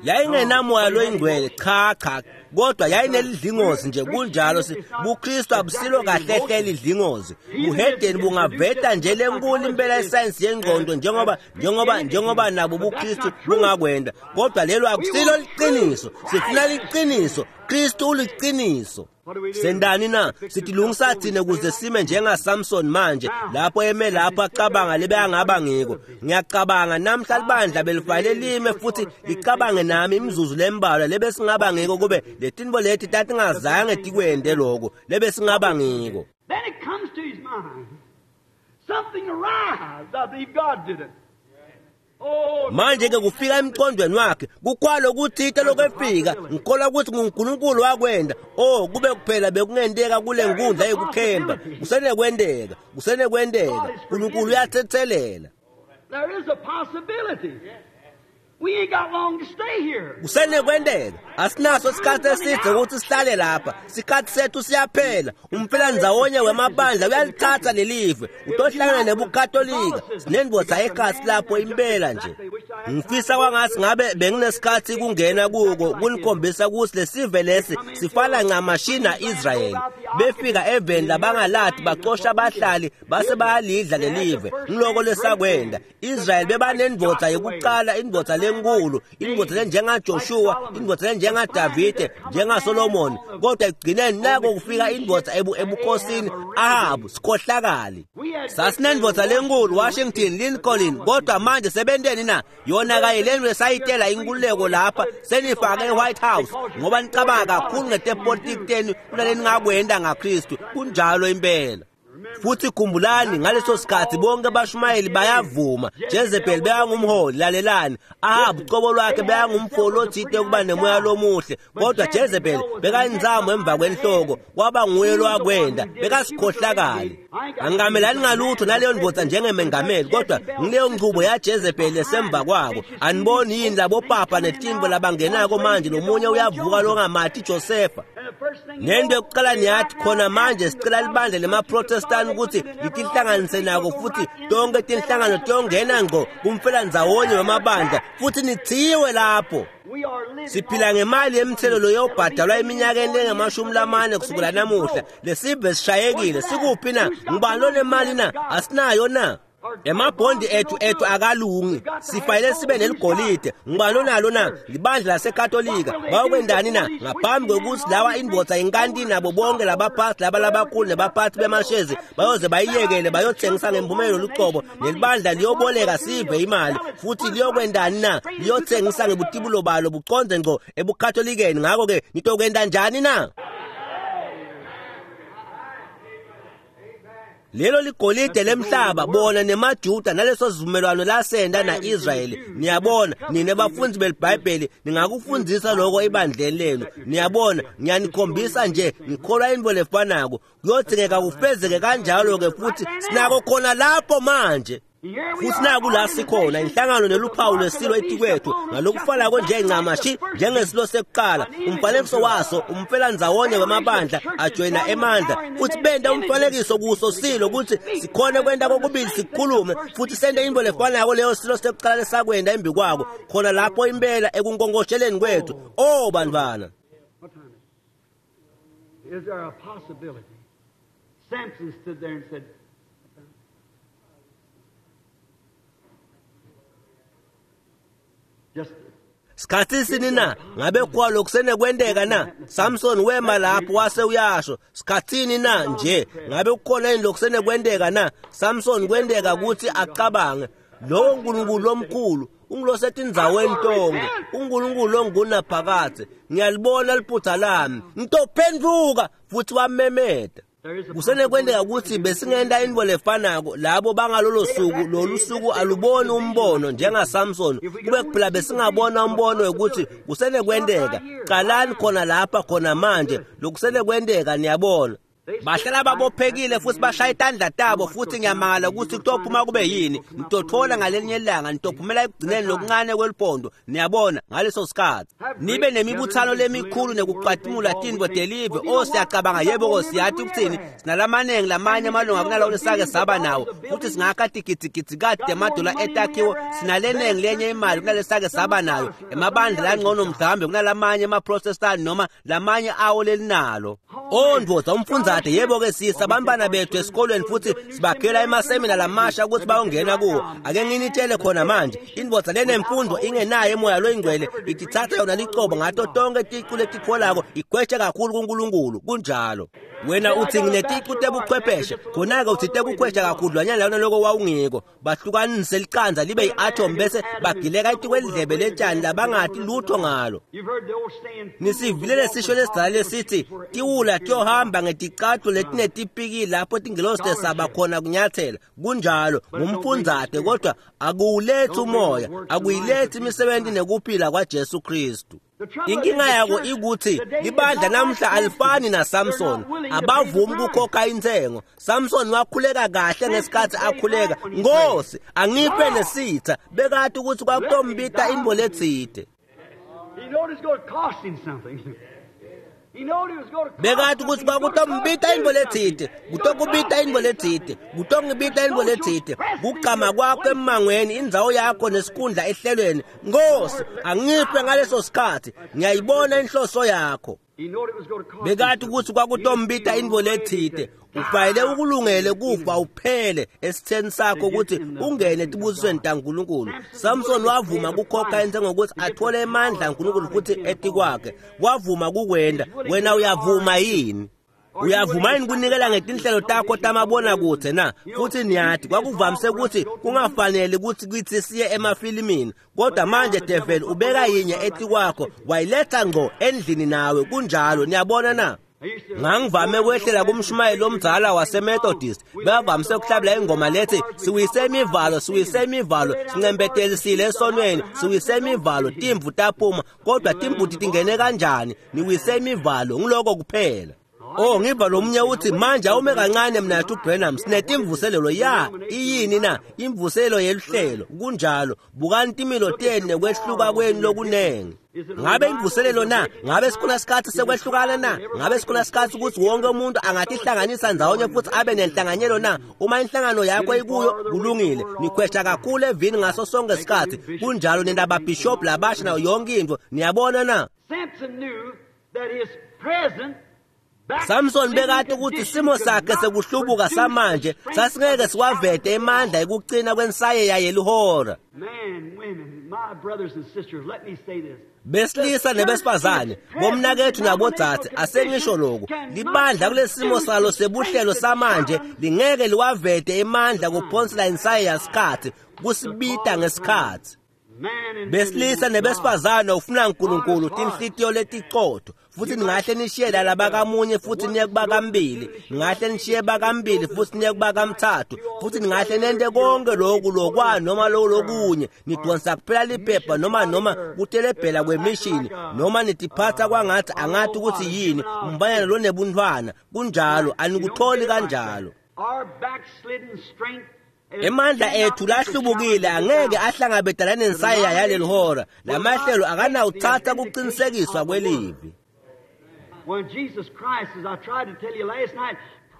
Yayingenamoya loyingcwele cha cha kodwa yayinelidlingozi nje kunjalo buKristu abusilo kahle hle lidlingozi. Buhedeni bungaveta nje lenkulu impela isayensi yengqondo njengoba nabo buKristu bungakwenda kodwa lelo akusilo liqiniso. Sifuna liqiniso. Kristu uliqiniso. Sendani na? Sitilungisa thina ukuze sime njengaSamson manje lapho eme lapho acabanga lebe angaba ngiko. Ngiyacabanga namhla libandla belifanele lime futhi licabange nami imizuzu lembalwa lebe singaba ngiko kube letinto leti tatingazange tikwende lokho lebe singaba ngiko. Then it comes to his mind. Something arrives. I believe God did it. Manje ke kufika emqondweni wakhe kukwalo kuthita lokwefika ngikholwa ukuthi nguNkulunkulu wakwenda. Oh, kube kuphela bekungenteka kule nkundla yekukhemba. Kusenekwenteka, kusenekwenteka. uNkulunkulu uyathethelela. There is a possibility. We ain't got long to stay here. Kusenekwenteka. Asinaso isikhathi eside ukuthi sihlale lapha. Isikhathi sethu siyaphela. Umfelandzawonye wemabandla uyalithatha lelive. Utohlangana nebuKatolika. Sinendvodza ekhasi lapho impela nje. Ngifisa kwangathi ngabe benginesikhathi kungena kuko kunikhombisa ukuthi lesive lesi sifana ncamashi na-Israyeli. Befika eveni labangalati bacosha abahlali base bayalidla lelive. Ngiloko lesakwenda. Israyeli bebanendvodza yokuqala, indvodza lenkulu, indvodza lenjengaJoshua, indvodza lenjengaDavide, njengaSolomon. Kodwa ekugcineni nako kufika indvodza ebukhosini Ahabu, sikhohlakali. Sasinendvodza lenkulu Washington, Lincoln, kodwa manje sebenteni na? Yona kaye lento lesayitela inkululeko lapha senifake eWhite House ngoba nicabanga kakhulu ngetepolitiki tenu kunaleni ngakwenda ngaKristu. Kunjalo impela. Futhi khumbulani ngaleso sikhathi bonke abashumayeli bayavuma. Jezebel bekangumholi, lalelani. Ahabu cobo lwakhe bekangumfoli othite ukuba nemoya lomuhle, kodwa Jezebel bekayinzamo emva kwenhloko, kwaba nguye lowakwenda, bekasikhohlakali. Angamelani ngalutho naleyo ndvodza njengemengameli, kodwa ngileyo nchubo yaJezebel esemva kwako. Aniboni yini labo papa netimbo labangenako manje? Lomunye uyavuka longamati Josefa. Nento yokuqala niyathi khona manje sicela libandla lemaProtestant ukuthi litihlanganise nako futhi tonke tinhlangano tiyongena ngqo kumfelandzawonye wemabandla futhi nithiwe lapho. Siphila ngemali yemthelo loyobhadalwa eminyakeni lengamashumi lamane kusukela namuhla. Lesive sishayekile. Sikuphi na? Ngubani lonemali na? Asinayo na? Emabhondi ethu akalungi, sifanele sibe neligolide. Ngubani onalo na? Libandla laseKatolika. Bayokwendani na? Ngaphambi kwekutsi lawa indvodza inkantini nabo bonke labaphathi laba labakhulu nebaphathi bemashezi bayoze bayiyekele bayothengisa ngemphumelo lucobo, nelibandla liyoboleka sive imali futhi liyokwendani na? Liyothengisa ngebutibulo balo buconze ngco ebuKatolikeni. Ngakho-ke nitokwenda njani na? Lelo ligolide lemhlaba, bona nemaJuda naleso sivumelwano lasenda na-Israyeli. Niyabona, nine bafundzi beliBhayibheli ningakufundzisa lokho ebandleni lenu. Niyabona, ngiyanikhombisa nje, ngikholwa intfo lefanako. Kuyodzingeka kufezeke kanjalo-ke futhi sinako khona lapho manje. Futhi naku la sikhona, inhlangano neluphawu lwesilo etikwethu, ngalokufanako nje ncamashi njengesilo sekuqala. Umfanekiso waso umfelandzawonye wemabandla ajoyina emandla, futhi benta umfanekiso kuso silo kutsi sikhone kwenta kokubili, sikhulume futhi sente intfo lefanako leyo silo sekuqala lesakwenta embi kwako, khona lapho impela ekunkonkosheleni kwethu. Oh bantfwana. Is there a possibility? Samson stood there and said, Sikhathi sini na? Ngabe kwalo kusenekwenteka na? Samson wema lapho wase uyasho, sikhathini na nje? Ngabe kukhona yini lokusenekwenteka na? Samson kwenteka ukuthi acabange, lowo Nkulunkulu lomkhulu ungulosetindzaweni tonke, uNkulunkulu ongunaphakadze, ngiyalibona liphutha lami, ngitophenduka. Futhi wamemeta. Kusenekwenteka ukuthi besingenta intfo lefanako labo bangalolo suku. Lolu suku aluboni umbono njengaSamson, kube kuphela besingabona umbono wekuthi kusenekwenteka. Qalani khona lapha khona manje, lokusenekwenteka. Niyabona, bahlala babophekile futhi bashaya itandla tabo, futhi ngiyamangala ukuthi kutophuma kube yini. Nitothola ngalenye ilanga, nitophumela ekugcineni lokuncane kweliphondo. Niyabona, ngaleso sikhathi nibe nemibuthano lemikhulu nekucwatimula tintfo telive. O, siyacabanga, yebo-ko, siyathi ukuthini, sinalamanengi lamanye amalunga kunalawo lesake saba nawo, futhi singakha tigidzigidzi temadola etakhiwo, sinalenengi lenye imali kunalesake saba nayo, emabandla langcono mhlawumbe kunalamanye emaprotestani noma lamanye awo lelinalo. O ndvodza, umfundzate, yebo-ke, sisa abantwana bethu esikolweni futhi sibakhela emasemina lamasha ukuthi bayongena kuwo. Ake nginitshele khona manje, indvodza lenemfundo ingenayo emoya loyingcwele ititsatsa yona licobo ngato tonke ticu letitfolako, igweshe kakhulu kuNkulunkulu. Kunjalo. Wena uthi ngineticu tebuchwepheshe, khona-ke uthi tekukhwesha kakhudlwanyana lona loko wawungiko. Bahlukanise licanza libe yi-atom bese bagileka etikwelidlebe letshani labangati lutho ngalo. Nisivile lesisho lesidzala lesithi tiwula tiyohamba ngeticathulo letinetipikili lapho tingelosi tesaba khona kunyathela. Kunjalo, ngumfundzate, kodwa akuwulethi umoya, akuyilethi imisebenzi nekuphila kwaJesu Kristu. Inkinga yako ikuthi libandla namhla alifani naSamson, abavumi ukukhokha intsengo. Samson wakhuleka kahle ngesikhathi akhuleka, Nkosi angiphe lesitha, bekati ukuthi kwakutombita intfo letsite. Bekati ukuthi kwakutombita intfo letsite, kutokubita intfo letsite, kutongibita intfo letsite. Kugcama kwakho emmangweni, indzawo yakho nesikhundla ehlelweni. Nkosi angiphe ngaleso sikhathi, ngiyayibona inhloso yakho. Bekati ukuthi kwakutombita intfo letsite. Ufanele ukulungele kufa uphele esitheni sakho ukuthi ungene etibusisweni taNkulunkulu. Samson wavuma kukhokha intsengo ukuthi athole emandla aNkulunkulu futhi etikwakhe. Wavuma kukwenta. Wena uyavuma yini? Uyavuma yini kunikela ngetinhlelo takho tamabonakudze na? Futhi niyati kwakuvamise ukuthi kungafanele ukuthi kitsi siye emafilimini, kodwa manje devil ubeka yinye etikwakho wayiletha ngco endlini nawe. Kunjalo. Niyabona na? Ngangivame kwehlela kumshumayeli omdzala waseMethodist, bebavamise ukuhlabela ingoma lethi siwise imivalo, siwise imivalo, sincembetelisile esonweni, siwise imivalo, timvu taphuma, kodwa timbuti tingene kanjani? Niwise imivalo, ngiloko kuphela. Oh, ngiva lo munye uthi manje awume kancane mna Branham, sinetimvuselelo. Ya, iyini na? Imvuselelo yeluhlelo. Kunjalo. Bukani timilo tenu nekwehluka kwenu lokunengi. Ngabe imvuselelo na? Ngabe sikhona sikhathi sekwehlukana na? Ngabe sikhona sikhathi ukuthi wonke umuntu angatihlanganisa ndzawonye futhi abe nenhlanganyelo na? Uma inhlangano yakho ikuyo, kulungile. Nikhwesha kakhulu evini ngaso sonke isikhathi. Kunjalo, nendababhishobhi labasha nayo yonke into. Niyabona na? Samson knew that his present Samson bekati ukuthi simo sakhe sekuhlubuka samanje sasingeke siwavete emandla ekucina kwensayeya yelihora. Besilisa nebesifazane, bomnakethu nabodzadze, asengisho lokhu, libandla kulesimo salo sebuhlelo samanje lingeke liwavete emandla kuphonsela insayeya sikhatsi, kusibita ngesikhatsi. Besilisa nebesifazane ufuna uNkulunkulu tinhlitiyo letiqotho, futhi ningahle nishiye la labakamunye futhi niye kubakambili, ningahle nishiye bakambili futhi niye kubakamthathu, futhi ningahle nente konke lokhu lokwa noma lokunye, nidonsa kuphela liphepha noma kutelebhela kwemishini, noma nitiphatha kwangathi angathi ukuthi yini umbanyana lonebuntwana. Kunjalo, anikutholi kanjalo. Emandla ethu lahlubukile angeke ahlangabetana nensayeya yaleli hora. Lamahlelo akanawuthatha kuqinisekiswa kwelivi.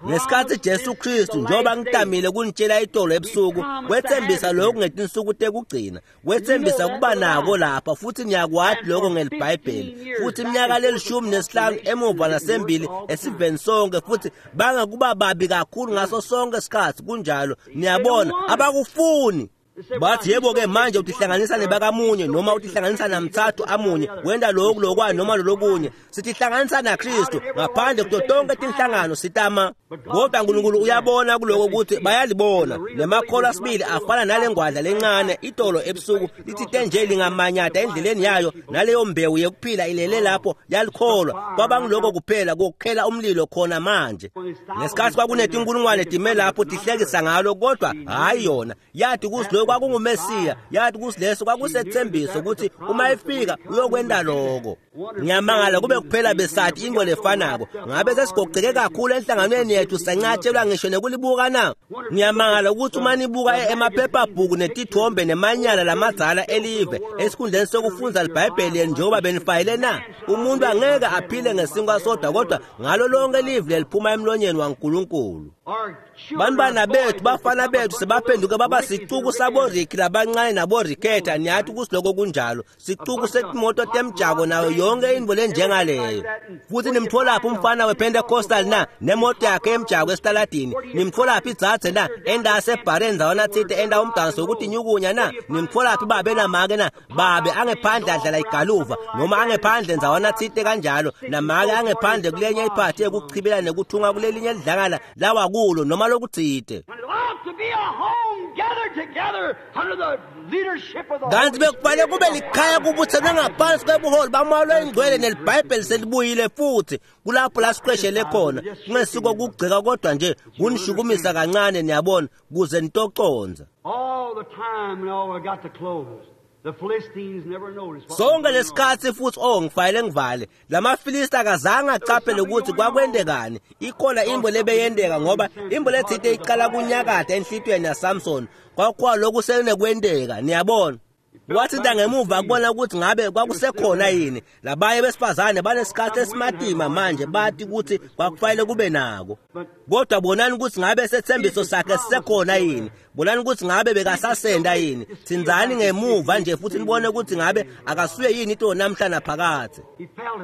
Ngesikhathi Jesu Kristu, njengoba ngitamile kunitshela itolo ebusuku, wethembisa lokhu ngetinsuku tekugcina, wethembisa kuba nako lapha, futhi niyakwati lokho ngeliBhayibheli. Futhi iminyaka le-15 emuva nasembili esiveni sonke, futhi bangakuba babi kakhulu ngaso sonke isikhathi. Kunjalo, niyabona, abakufuni. Bathi yebo-ke manje utihlanganisa nebakamunye noma utihlanganisa namthathu amunye, wenta lokhu lokwa noma lolokunye. Sitihlanganisa naKristu ngaphandle kuto tonke tinhlangano sitama. Kodwa uNkulunkulu uyabona kuloko ukuthi bayalibona. Nemakholwa sibili afana nale ngwadla lencane itolo ebusuku lithite nje lingamanyata endleleni yayo, naleyo mbewu yekuphila ilele lapho yalikholwa. Kwabangiloko kuphela kokukhela umlilo khona manje. Ngesikhathi kwakunetinkulungwane time lapho tihlekisa ngalo, kodwa hhayi yona. Yathi ukuthi lokho kwakunguMesiya, yathi ukuthi leso kwakusethembiso ukuthi uma efika uyokwenta lokho. Ngiyamangala kube kuphela besathi into lefanako, ngabe sesigoceke kakhulu enhlanganweni yethu sancatshelwa ngisho nekulibuka na? Ngiyamangala ukuthi uma nibuka emaphephabhuku netithombe nemanyala lamadzala elive esikhundleni sokufundza liBhayibheli njengoba benifayile na? Umuntu angeke aphile ngesinkwa sodwa, kodwa ngalo lonke live leliphuma emlonyeni waNkulunkulu. Bantwana bethu, bafana bethu sebaphenduke baba sicuku saboriki labancane naboriketha. Niyathi ukuthi lokho kunjalo, sicuku setimoto temjako nayo yonke into lenjengaleyo. Futhi nimtholaphi umfana wePentecostal na nemoto yakhe emjako esitaladini? Nimtholaphi idzadze na endasebharen ndzawana tsite enda umdanso wokuthi nyukunya na? Nimtholaphi babe namake na? Babe angephandle adlala igaluva noma angephandle ndzawana tsite kanjalo, namake angephandle kulenye iphathi yekuchibela nekuthunga kulelinye lidlangala lawakulo noma lokutsite. Kanti bekufanele kube likhaya kubuthelwe ngaphansi kwebuholi baMoya oyiNgcwele neliBhayibheli selibuyile futhi kulapho la siqeshele khona. Kungesiko kugceka kodwa nje kunishukumisa kancane, niyabona, kuze nitoconza. Sonke lesikhathi futhi ngifayele ngivale, lamaFilisti akazange acaphele ukuthi kwakwendekani. Ikhona imbo lebeyendeka, ngoba imbo lethite iqala kunyakada enhlitiyweni yaSamson. Kwakukho lokhu sekunekwendeka, niyabona. Wathinta ngemuva kubona ukuthi ngabe kwakusekhona yini. Labanye besifazane banesikhathi esimatima manje, bathi ukuthi kwakufanele kube nako. Kodwa bonani ukuthi ngabe sethembiso sakhe sisekhona yini. Bonani ukuthi ngabe bekasasenda yini. Thinzani ngemuva nje futhi nibone ukuthi ngabe akasuye yini into namhla naphakathe.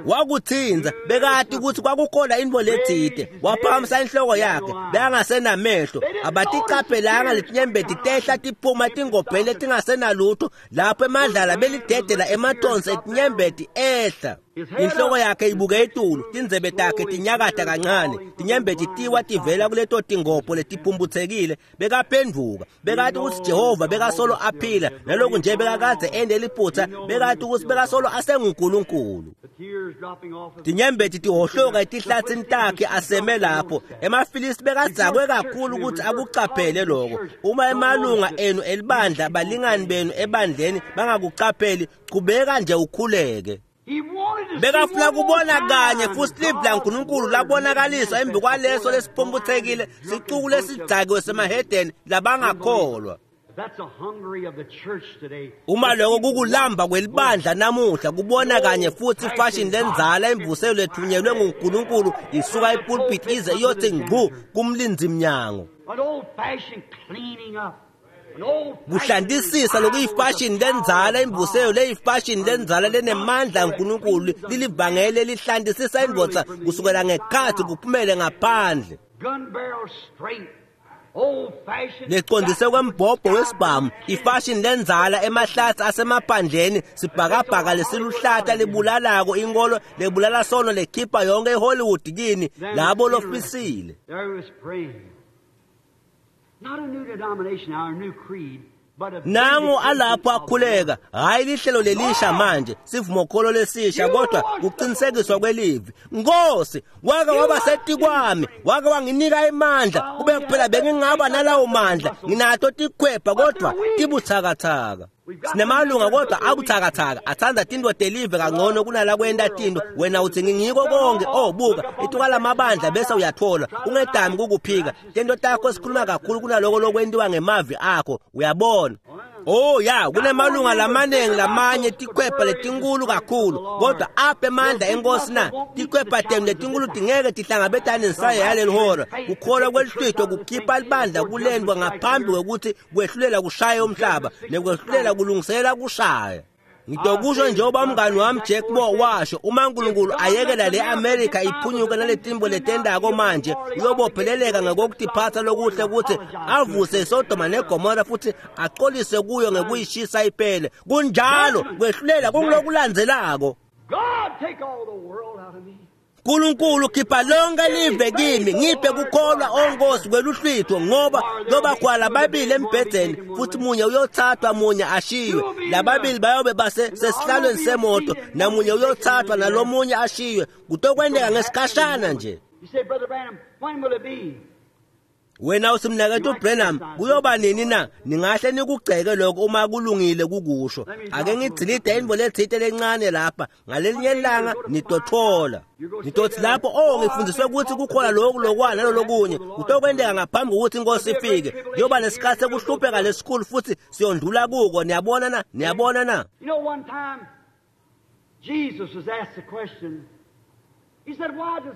Wakuthinza, bekati ukuthi kwakukhona into lethite. Waphakamisa inhloko yakhe, bekangasenamehlo. Abaticaphelanga letinyembeti tehla tiphuma tingobheni letingasenalutho. Lapho emadlala belidedela emathonsi etinyembeti ehla. Inhloko yakhe ibuke etulu, tindzebe takhe tinyakata kancane, tinyembeti tiwa tivela kuleto tingopho letiphumbuthekile. Bekaphenduka, bekati ukuthi Jehova bekasolo aphila, naloku nje bekakadze ende liphutha, bekati ukuthi bekasolo asenguNkulunkulu. Tinyembeti tihohloka etihlatsini takhe aseme lapho. EmaFilisti bekadzakwe kakhulu ukuthi akucaphele lokho. Uma emalunga enu elibandla, balingani benu ebandleni bangakucapheli, qhubeka nje ukhuleke. Bekafuna kubona kanye futhi live laNkulunkulu labonakaliswa embi kwaleso lesiphumbuthekile sicuku lesidzakiwe semahedeni labangakholwa. Uma lokho kukulamba kwelibandla namuhla, kubona kanye futhi ifashion lenzala imvuselo lethunyelwe nguNkulunkulu isuka epulpit ize iyothi ngqu kumlinzi mnyango. Kuhlantisisa lokuyifashini lendzala, imvuseyo leyifashini lendzala lenemandla aNkulunkulu, lilivangeli lelihlantisisa indvodza kusukela ngekhatsi kuphumele ngaphandle. Lecondzise kwembhobho wesibhamu, ifashini lendzala emahlatsi asemaphandleni, sibhakabhaka lesiluhlata libulalako, inkolo lebulala sono lekhipha yonke iHollywood kini labo lofisile. Nangu alapho akhuleka, hhayi lihlelo lelisha manje, sivumokholo lesisha, kodwa kuqinisekiswa kwelivi. Nkosi, wake waba setikwami, wake wanginika emandla, kube kuphela bengingaba nalawo mandla, nginato tikhwepha kodwa tibutsakatsaka. Sinemalunga kodwa abutsakatsaka, atsandza tintfo telive kangcono kunalakwenta tintfo. Wena utsi ngingiko konke, oh buka, itukala mabandla bese uyathola, ungedami kukuphika. Tento takho sikhuluma kakhulu kunaloko lokwentiwa ngemavi akho, uyabona. Oh ya, kunemalunga lamaningi lamanye tikhwepha letinkulu kakhulu, kodwa apha emandla enkosi na, tikhwepha tenu letinkulu tingeke tihlangabetane nensaya yaleli hora. Kukholwa kwelihlwitho kukhipha libandla kulendwa ngaphambi kwekuthi kwehlulela kushaye umhlaba, nekwehlulela kulungisela kushaya. Ngitokusho njengoba umngani wami Jack Moore washo, uma uNkulunkulu ayekela le America iphunyuke naletimbo letendako manje, uyobopheleleka ngekokutiphatsa lokuhle ukuthi avuse iSodoma neGomora futhi axolise kuyo ngekuyishisa iphele. Kunjalo, kwehlulela kungulokulandzelako. Nkulunkulu khipha lonke live kimi, ngiphe kukholwa onkosi kweluhlwitho, ngoba kuyoba lababili embhedzeni futhi munye uyothathwa munye ashiywe. Lababili bayobe base sesihlalweni semoto, namunye uyothathwa nalomunye ashiywe. Kutokwenteka ngesikhashana nje. Wena uthi mnaketfu Branham, kuyoba nini na? Ningahle nikugceke lokho uma kulungile kukusho. Ake ngidilide intfo letsite lencane lapha, ngalelinye ilanga nitothola. Nitothi lapho, oh ngifundiswe ukuthi kukhona lokhu lokwa nalolokunye. Kutokwenteka ngaphambi kokuthi inkosi ifike. Kuyoba nesikhathi sekuhlupheka lesikhulu futhi siyondlula kuko. Niyabona na? Niyabona na? You know, one time Jesus was asked the question.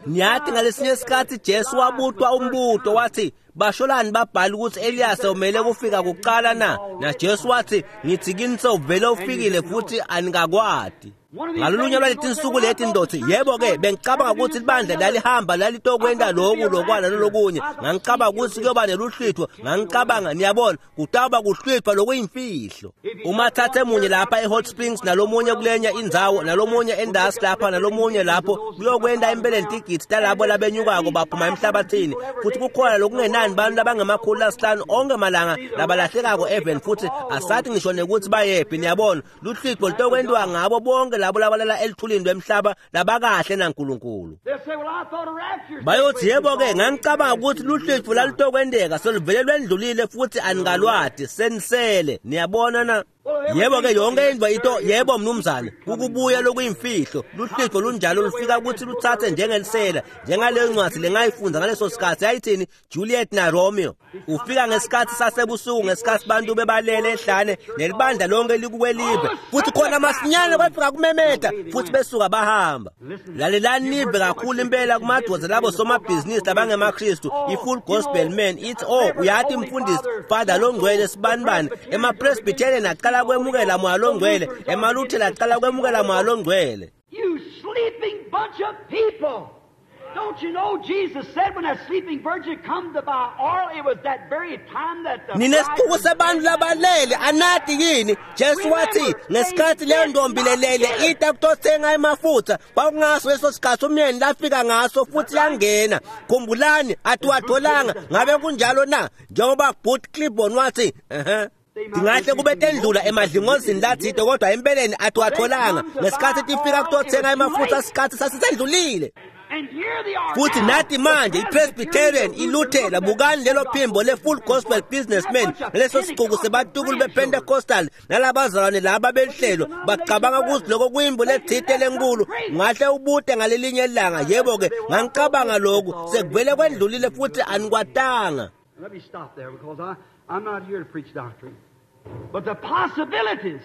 Niyathi ngalesinye isikhathi Jesu wabutwa umbuto wathi, basholani babhala ukuthi Elias umele kufika kuqala na? Na Jesu wathi, ngithi kini sewuvele ufikile futhi anikakwati. Ngalolunye lwaletinsuku leti ndothi, yebo-ke bengicabanga ukuthi libandla lalihamba lalitokwenta loku lokwa nalokunye. Ngangicabanga ukuthi kuyoba neluhlwitho, ngangicabanga, niyabona, kutawuba kuhlwithwa lokuyimfihlo. Uma thathe munye lapha eHot Springs nalomunye kulenye indzawo nalomunye endasi lapha nalomunye lapho, kuyokwenta impeleni tigidzi talabo labenyukako baphuma emhlabathini. Futhi kukhona lokungenani bantu labangama-500 onke malanga labalahlekako even futhi asathi ngisho nekuthi bayephi. Niyabona, luhlwitho lutokwentiwa ngabo bonke labo labalala elithulini lwemhlaba labakahle naNkulunkulu. Bayothi yebo-ke ngangicabanga ukuthi luhlwitho lalutokwenteka seluvele lwendlulile futhi anikalwati, senisele. Niyabona na? Yebo-ke yonke indvo ito, yebo mnumzane, kukubuya lokuyimfihlo. Luhlwitho lunjalo lufika ukuthi luthathe njengelisela, njengaleyo ncwadi lengayifunda ngaleso sikhathi yayithini, Juliet na Romeo. Ufika ngesikhathi sasebusuku, ngesikhathi bantu bebalele ehlane nelibandla lonke likukwelive, futhi khona masinyane kwafika kumemeta futhi besuka bahamba. Lalelani nive kakhulu impela kumadoda labo somabhizinisi labangemaKristu, i-Full Gospel Man ithi, oh uyathi mfundisi Father longcwele sibanibani, emaPresbyterian aqala kwemukela moya longcwele, emaLuthela aqala kwemukela moya longcwele. You sleeping bunch of people. Don't you know Jesus said when that sleeping virgin come to buy oil, it was that very time that the Ninesipuku sebantu labalele anati yini? Jesu wathi ngesikhathi leyo ntombi lelele ita kutothenga emafutha, kwakungaso leso sikhathi umyeni lafika ngaso futhi yangena. Khumbulani atiwatholanga, ngabe kunjalo na? Njengoba Booth Clibborn wathi, Tingahle kube tendlula emadlingozini lathide kodwa empeleni atiwatholanga. Ngesikhathi tifika kutothenga emafutha, isikhathi sasisendlulile. Futhi nathi manje iPresbyterian, iLuthela, bukani lelo phimbo le-Full Gospel Businessman, naleso sicuku sebatukulu bePentecostal nalabazalwane laba belihlelo, bacabanga ukuthi lokho kuyimbo lethite lenkulu. Ngahle ubute ngalelinye ilanga, yebo-ke ngangicabanga lokhu sekuvele kwendlulile futhi anikwatanga. Let me stop there because I'm not here to preach doctrine. But the possibilities.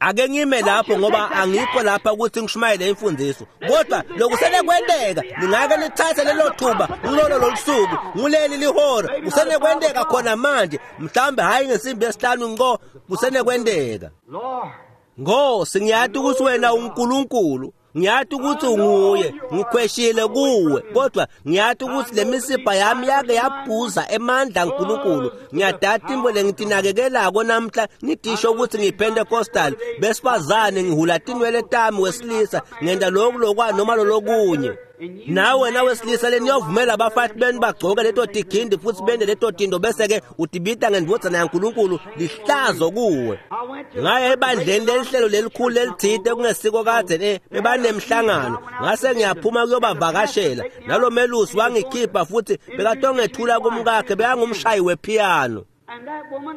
Ake ngime lapho ngoba angikho lapha ukuthi ngishumayele imfundiso, kodwa lokusenekwenteka ningake nithathe lelo thuba kulolo lolusuku nguleli lihora kusenekwenteka khona manje, mhlawumbe hhayi ngesimbi yesihlanu ngqo, kusenekwenteka. Nkosi, ngiyati ukuthi wena uNkulunkulu, ngiyati ukuthi unguye, ngikhweshile kuwe, kodwa ngiyati ukuthi le misipha yami yake yabhuza emandla aNkulunkulu. Ngiyadada imbo lengitinakekelako namhla ngidisho ukuthi ngiyiPentecostal, besifazane ngihula tinwele tami wesilisa, ngenta lokhu lokwa noma lolokunye. Nawe wena wesilisa leniyovumela abafati benu bagcoke leto tigindi futhi bende leto tinto bese-ke utibita ngendvodzana yaNkulunkulu, lihlazo kuwe. Ngaya ebandleni lelihlelo lelikhulu lelithite kungesiko kadze bebanemhlangano, ngase ngiyaphuma kuyobavakashela, nalo melusi wangikhipha futhi bekatongethula kumkakhe, bekangumshayi wephiyano.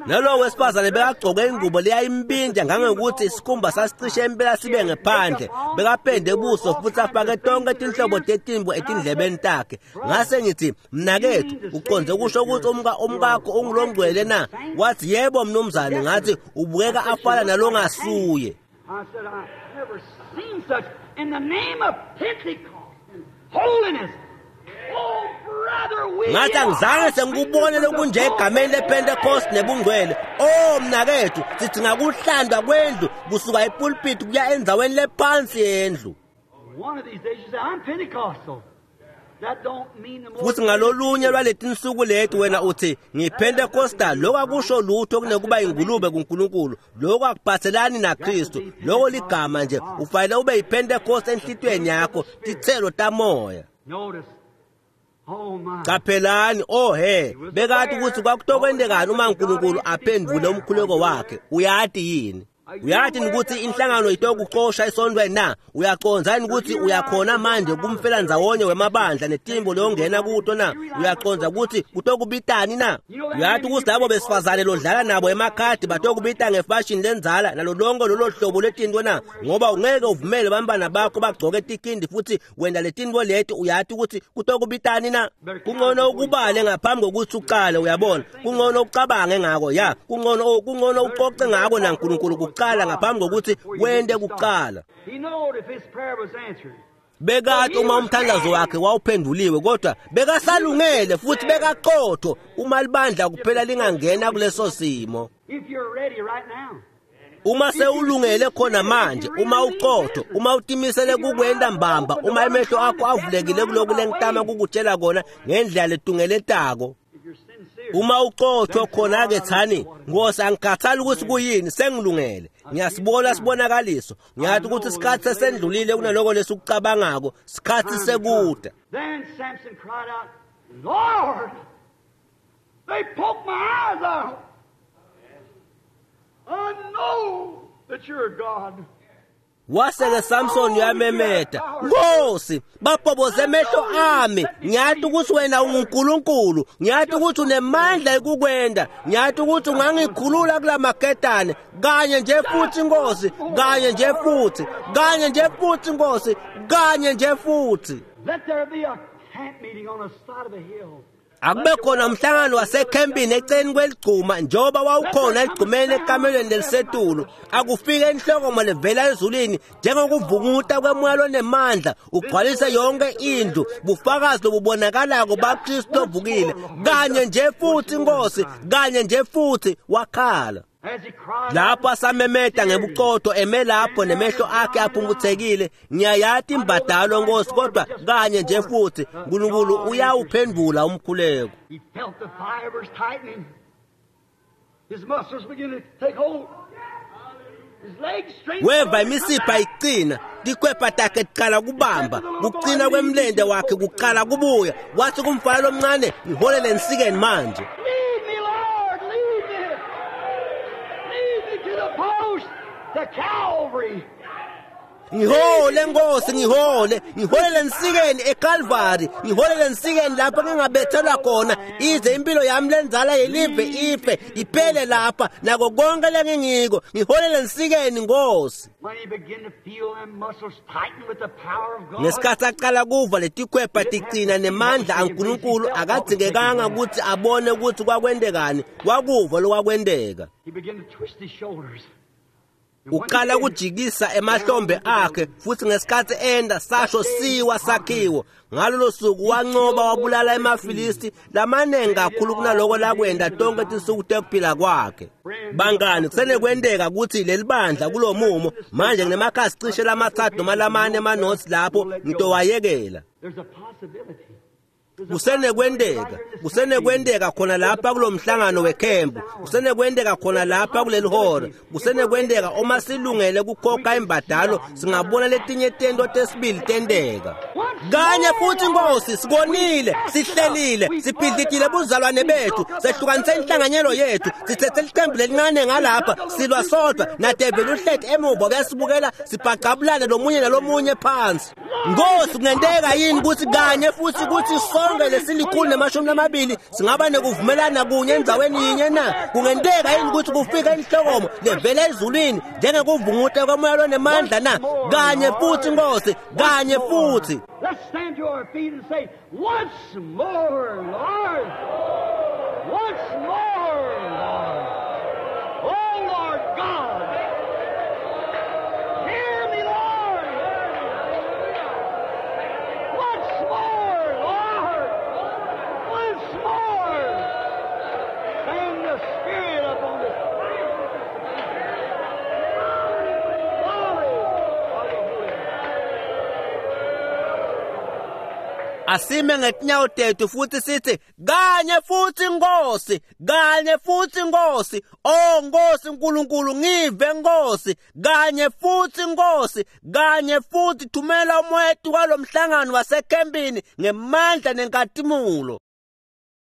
Nalowo wesifazane bekagcoke ingubo leyayimbinja ngangokuthi isikhumba sasicishe impela sibe ngephandle, bekapende buso futhi afake tonke tinhlobo tetimbo etindlebeni takhe. Ngase ngithi, mnakethu, uqonde kusho ukuthi umkakho ungulongcwele na? Wathi, yebo mnumzane. Ngathi, ubukeka afana nalongasuye. I said, I've never seen such in the name of Pentecost and holiness. Ngathi angizange sengikubone lokunje egameni lePentecost nebungcwele. Oh mnakethu, sidinga kuhlandwa kwendlu kusuka epulpit kuya endzaweni lephansi yendlu. Futhi ngalolunye lwaletinsuku leti wena uthi ngiyiPentecostal, lokho akusho lutho kunekuba ingulube kuNkulunkulu, lokho akuphathelani naKristu, lokho ligama nje. Ufanele ube yiPentecost enhlitiyweni yakho, titselo tamoya. Qaphelani, oh he, bekati ukuthi kwakutokwentekani uma uNkulunkulu aphendvule umkhuleko wakhe. Uyati yini? Uyati ukuthi inhlangano itokuxosha esontweni na? Uyacondza yini ukuthi uyakhona manje kumfela ndzawonye wemabandla netimbo leyongena kuto na? Uyacondza ukuthi kutokubitani na? Uyati ukuthi labo besifazane lodlala nabo emakhadi batokubita ngefashini lenzala nalo lonke lolo hlobo letinto na? Ngoba ungeke uvumele bantwana bakho bagcoke tikindi futhi wena letinto leti. Uyati ukuthi kutokubitani na? Kungcono ukubale ngaphambi kokuthi uqale, uyabona. Kungcono ucabange ngako, ya, kungcono ucoce ngako naNkulunkulu kuqala ngaphambi kokuthi wente kuqala. Bekati uma umthandazo wakhe wawuphenduliwe, kodwa bekasalungele futhi bekaqotho uma libandla kuphela lingangena kuleso simo. Uma sewulungele khona manje, uma uqotho, uma utimisele kukwenta mbamba, uma emehlo akho avulekile kuloku lengitama kukutshela kona ngendlela letungeletako, uma uqotho khona-ke thani, Nkosi, angikhathali ukuthi kuyini, sengilungele, ngiyasibona sibonakaliso, ngiyathi ukuthi isikhathi sesendlulile kunaloko lesikucabangako, sikhathi sekuda. Then Samson cried out, Lord, they poked my eyes out. I know that you're a God. Waseke Samson uyamemeta, Nkosi, babhoboze emehlo ami, ngiyati ukuthi wena unguNkulunkulu, ngiyati ukuthi unemandla ekukwenda, ngiyati ukuthi ungangikhulula kula maketane, kanye nje futhi Nkosi, kanye nje futhi, kanye nje futhi Nkosi, kanye nje futhi. Let there be a camp meeting on the side of a hill. Akube khona umhlangano wasekhempini eceleni kweligcuma njengoba wawukhona eligcumeni ekamelweni lelisetulu. Akufike inhlokomo levela ezulwini njengokuvunguta kwemoya lonemandla ugcwalise yonke indlu, bufakazi lobubonakalako baKristu lovukile. Kanye nje futhi Nkosi, kanye nje futhi, wakhala. Lapho asamemeta ngebuqotho eme lapho nemehlo akhe aphumputhekile, ngiyayati imbadalo Nkosi, kodwa kanye nje futhi uNkulunkulu uyawuphendula umkhuleko. He felt the fibers tightening. His muscles began to take hold. His legs straightened. Weva imisipha iqina, tikhwepha takhe tiqala kubamba, kuqina kwemlente wakhe kuqala kubuya. Wathi kumfana lomncane, ngiholele ensikeni manje. Lead me, Lord, lead me. Lead me to the post, to Calvary. Ngihole Nkosi, ngihole, ngiholele ensikeni eCalvary, ngiholele ensikeni lapho ngingabethelwa khona, ize impilo yami lenzala yelive ife iphele lapha nako konke lengingiko, ngiholele ensikeni Nkosi. When he began to feel them muscles tighten with the power of God. Ngesikhathi aqala kuva letikhwepha ticina nemandla aNkulunkulu, akadzingekanga ukuthi abone ukuthi kwakwentekani, wakuva lokwakwenteka. He began to twist his shoulders. Uqala kujikisa emahlombe akhe, futhi ngesikhathi enda sasho siwa sakhiwo. Ngalolo suku wanqoba wabulala emaFilisti lamaningi kakhulu kunaloko lakwenda tonke tinsuku tekuphila kwakhe. Bangani, kusenekwenteka ukuthi leli bandla kulomumo manje nginemakhasi cishe lama-3 noma lamane emanothi lapho ngitowayekela. Kusenekwenteka khona lapha kulomhlangano wekhempu, kusenekwenteka khona lapha kuleli hora, kusenekwenteka uma silungele kukhokha imbadalo singabona letinye tento tesibili tenteka. Kanye futhi Nkosi, sibonile, sihlelile, sibhidlikile buzalwane bethu, sehlukanise inhlanganyelo yethu, sithethe licembu lelincane ngalapha, silwa sodwa nadeveli uhleti emuva kuyasibukela, sibhacabulane lomunye nalomunye phansi. Nkosi, kungenteka yini ukuthi kanye futhi kuthi sonke lesilikhulu nemashumi lamabili singaba nekuvumelana kunye endzaweni yinye na? Kungenteka yini ukuthi kufike inhlokomo levela ezulwini njengekuvunguta komoya lonemandla na? Kanye futhi Nkosi, kanye futhi. Let's stand to our feet and say, once more, Lord. Once more, Lord. Oh, Lord God. Hear me, Lord. Once more, Lord. Once more. Send the Spirit upon us. Glory of the Holy Ghost. Asime ngetinyawo tethu futhi sithi kanye futhi Nkosi, kanye futhi Nkosi, oh Nkosi uNkulunkulu ngive Nkosi, kanye futhi Nkosi, kanye futhi thumela umoya kwalomhlangano wasekhempini ngemandla nenkatimulo.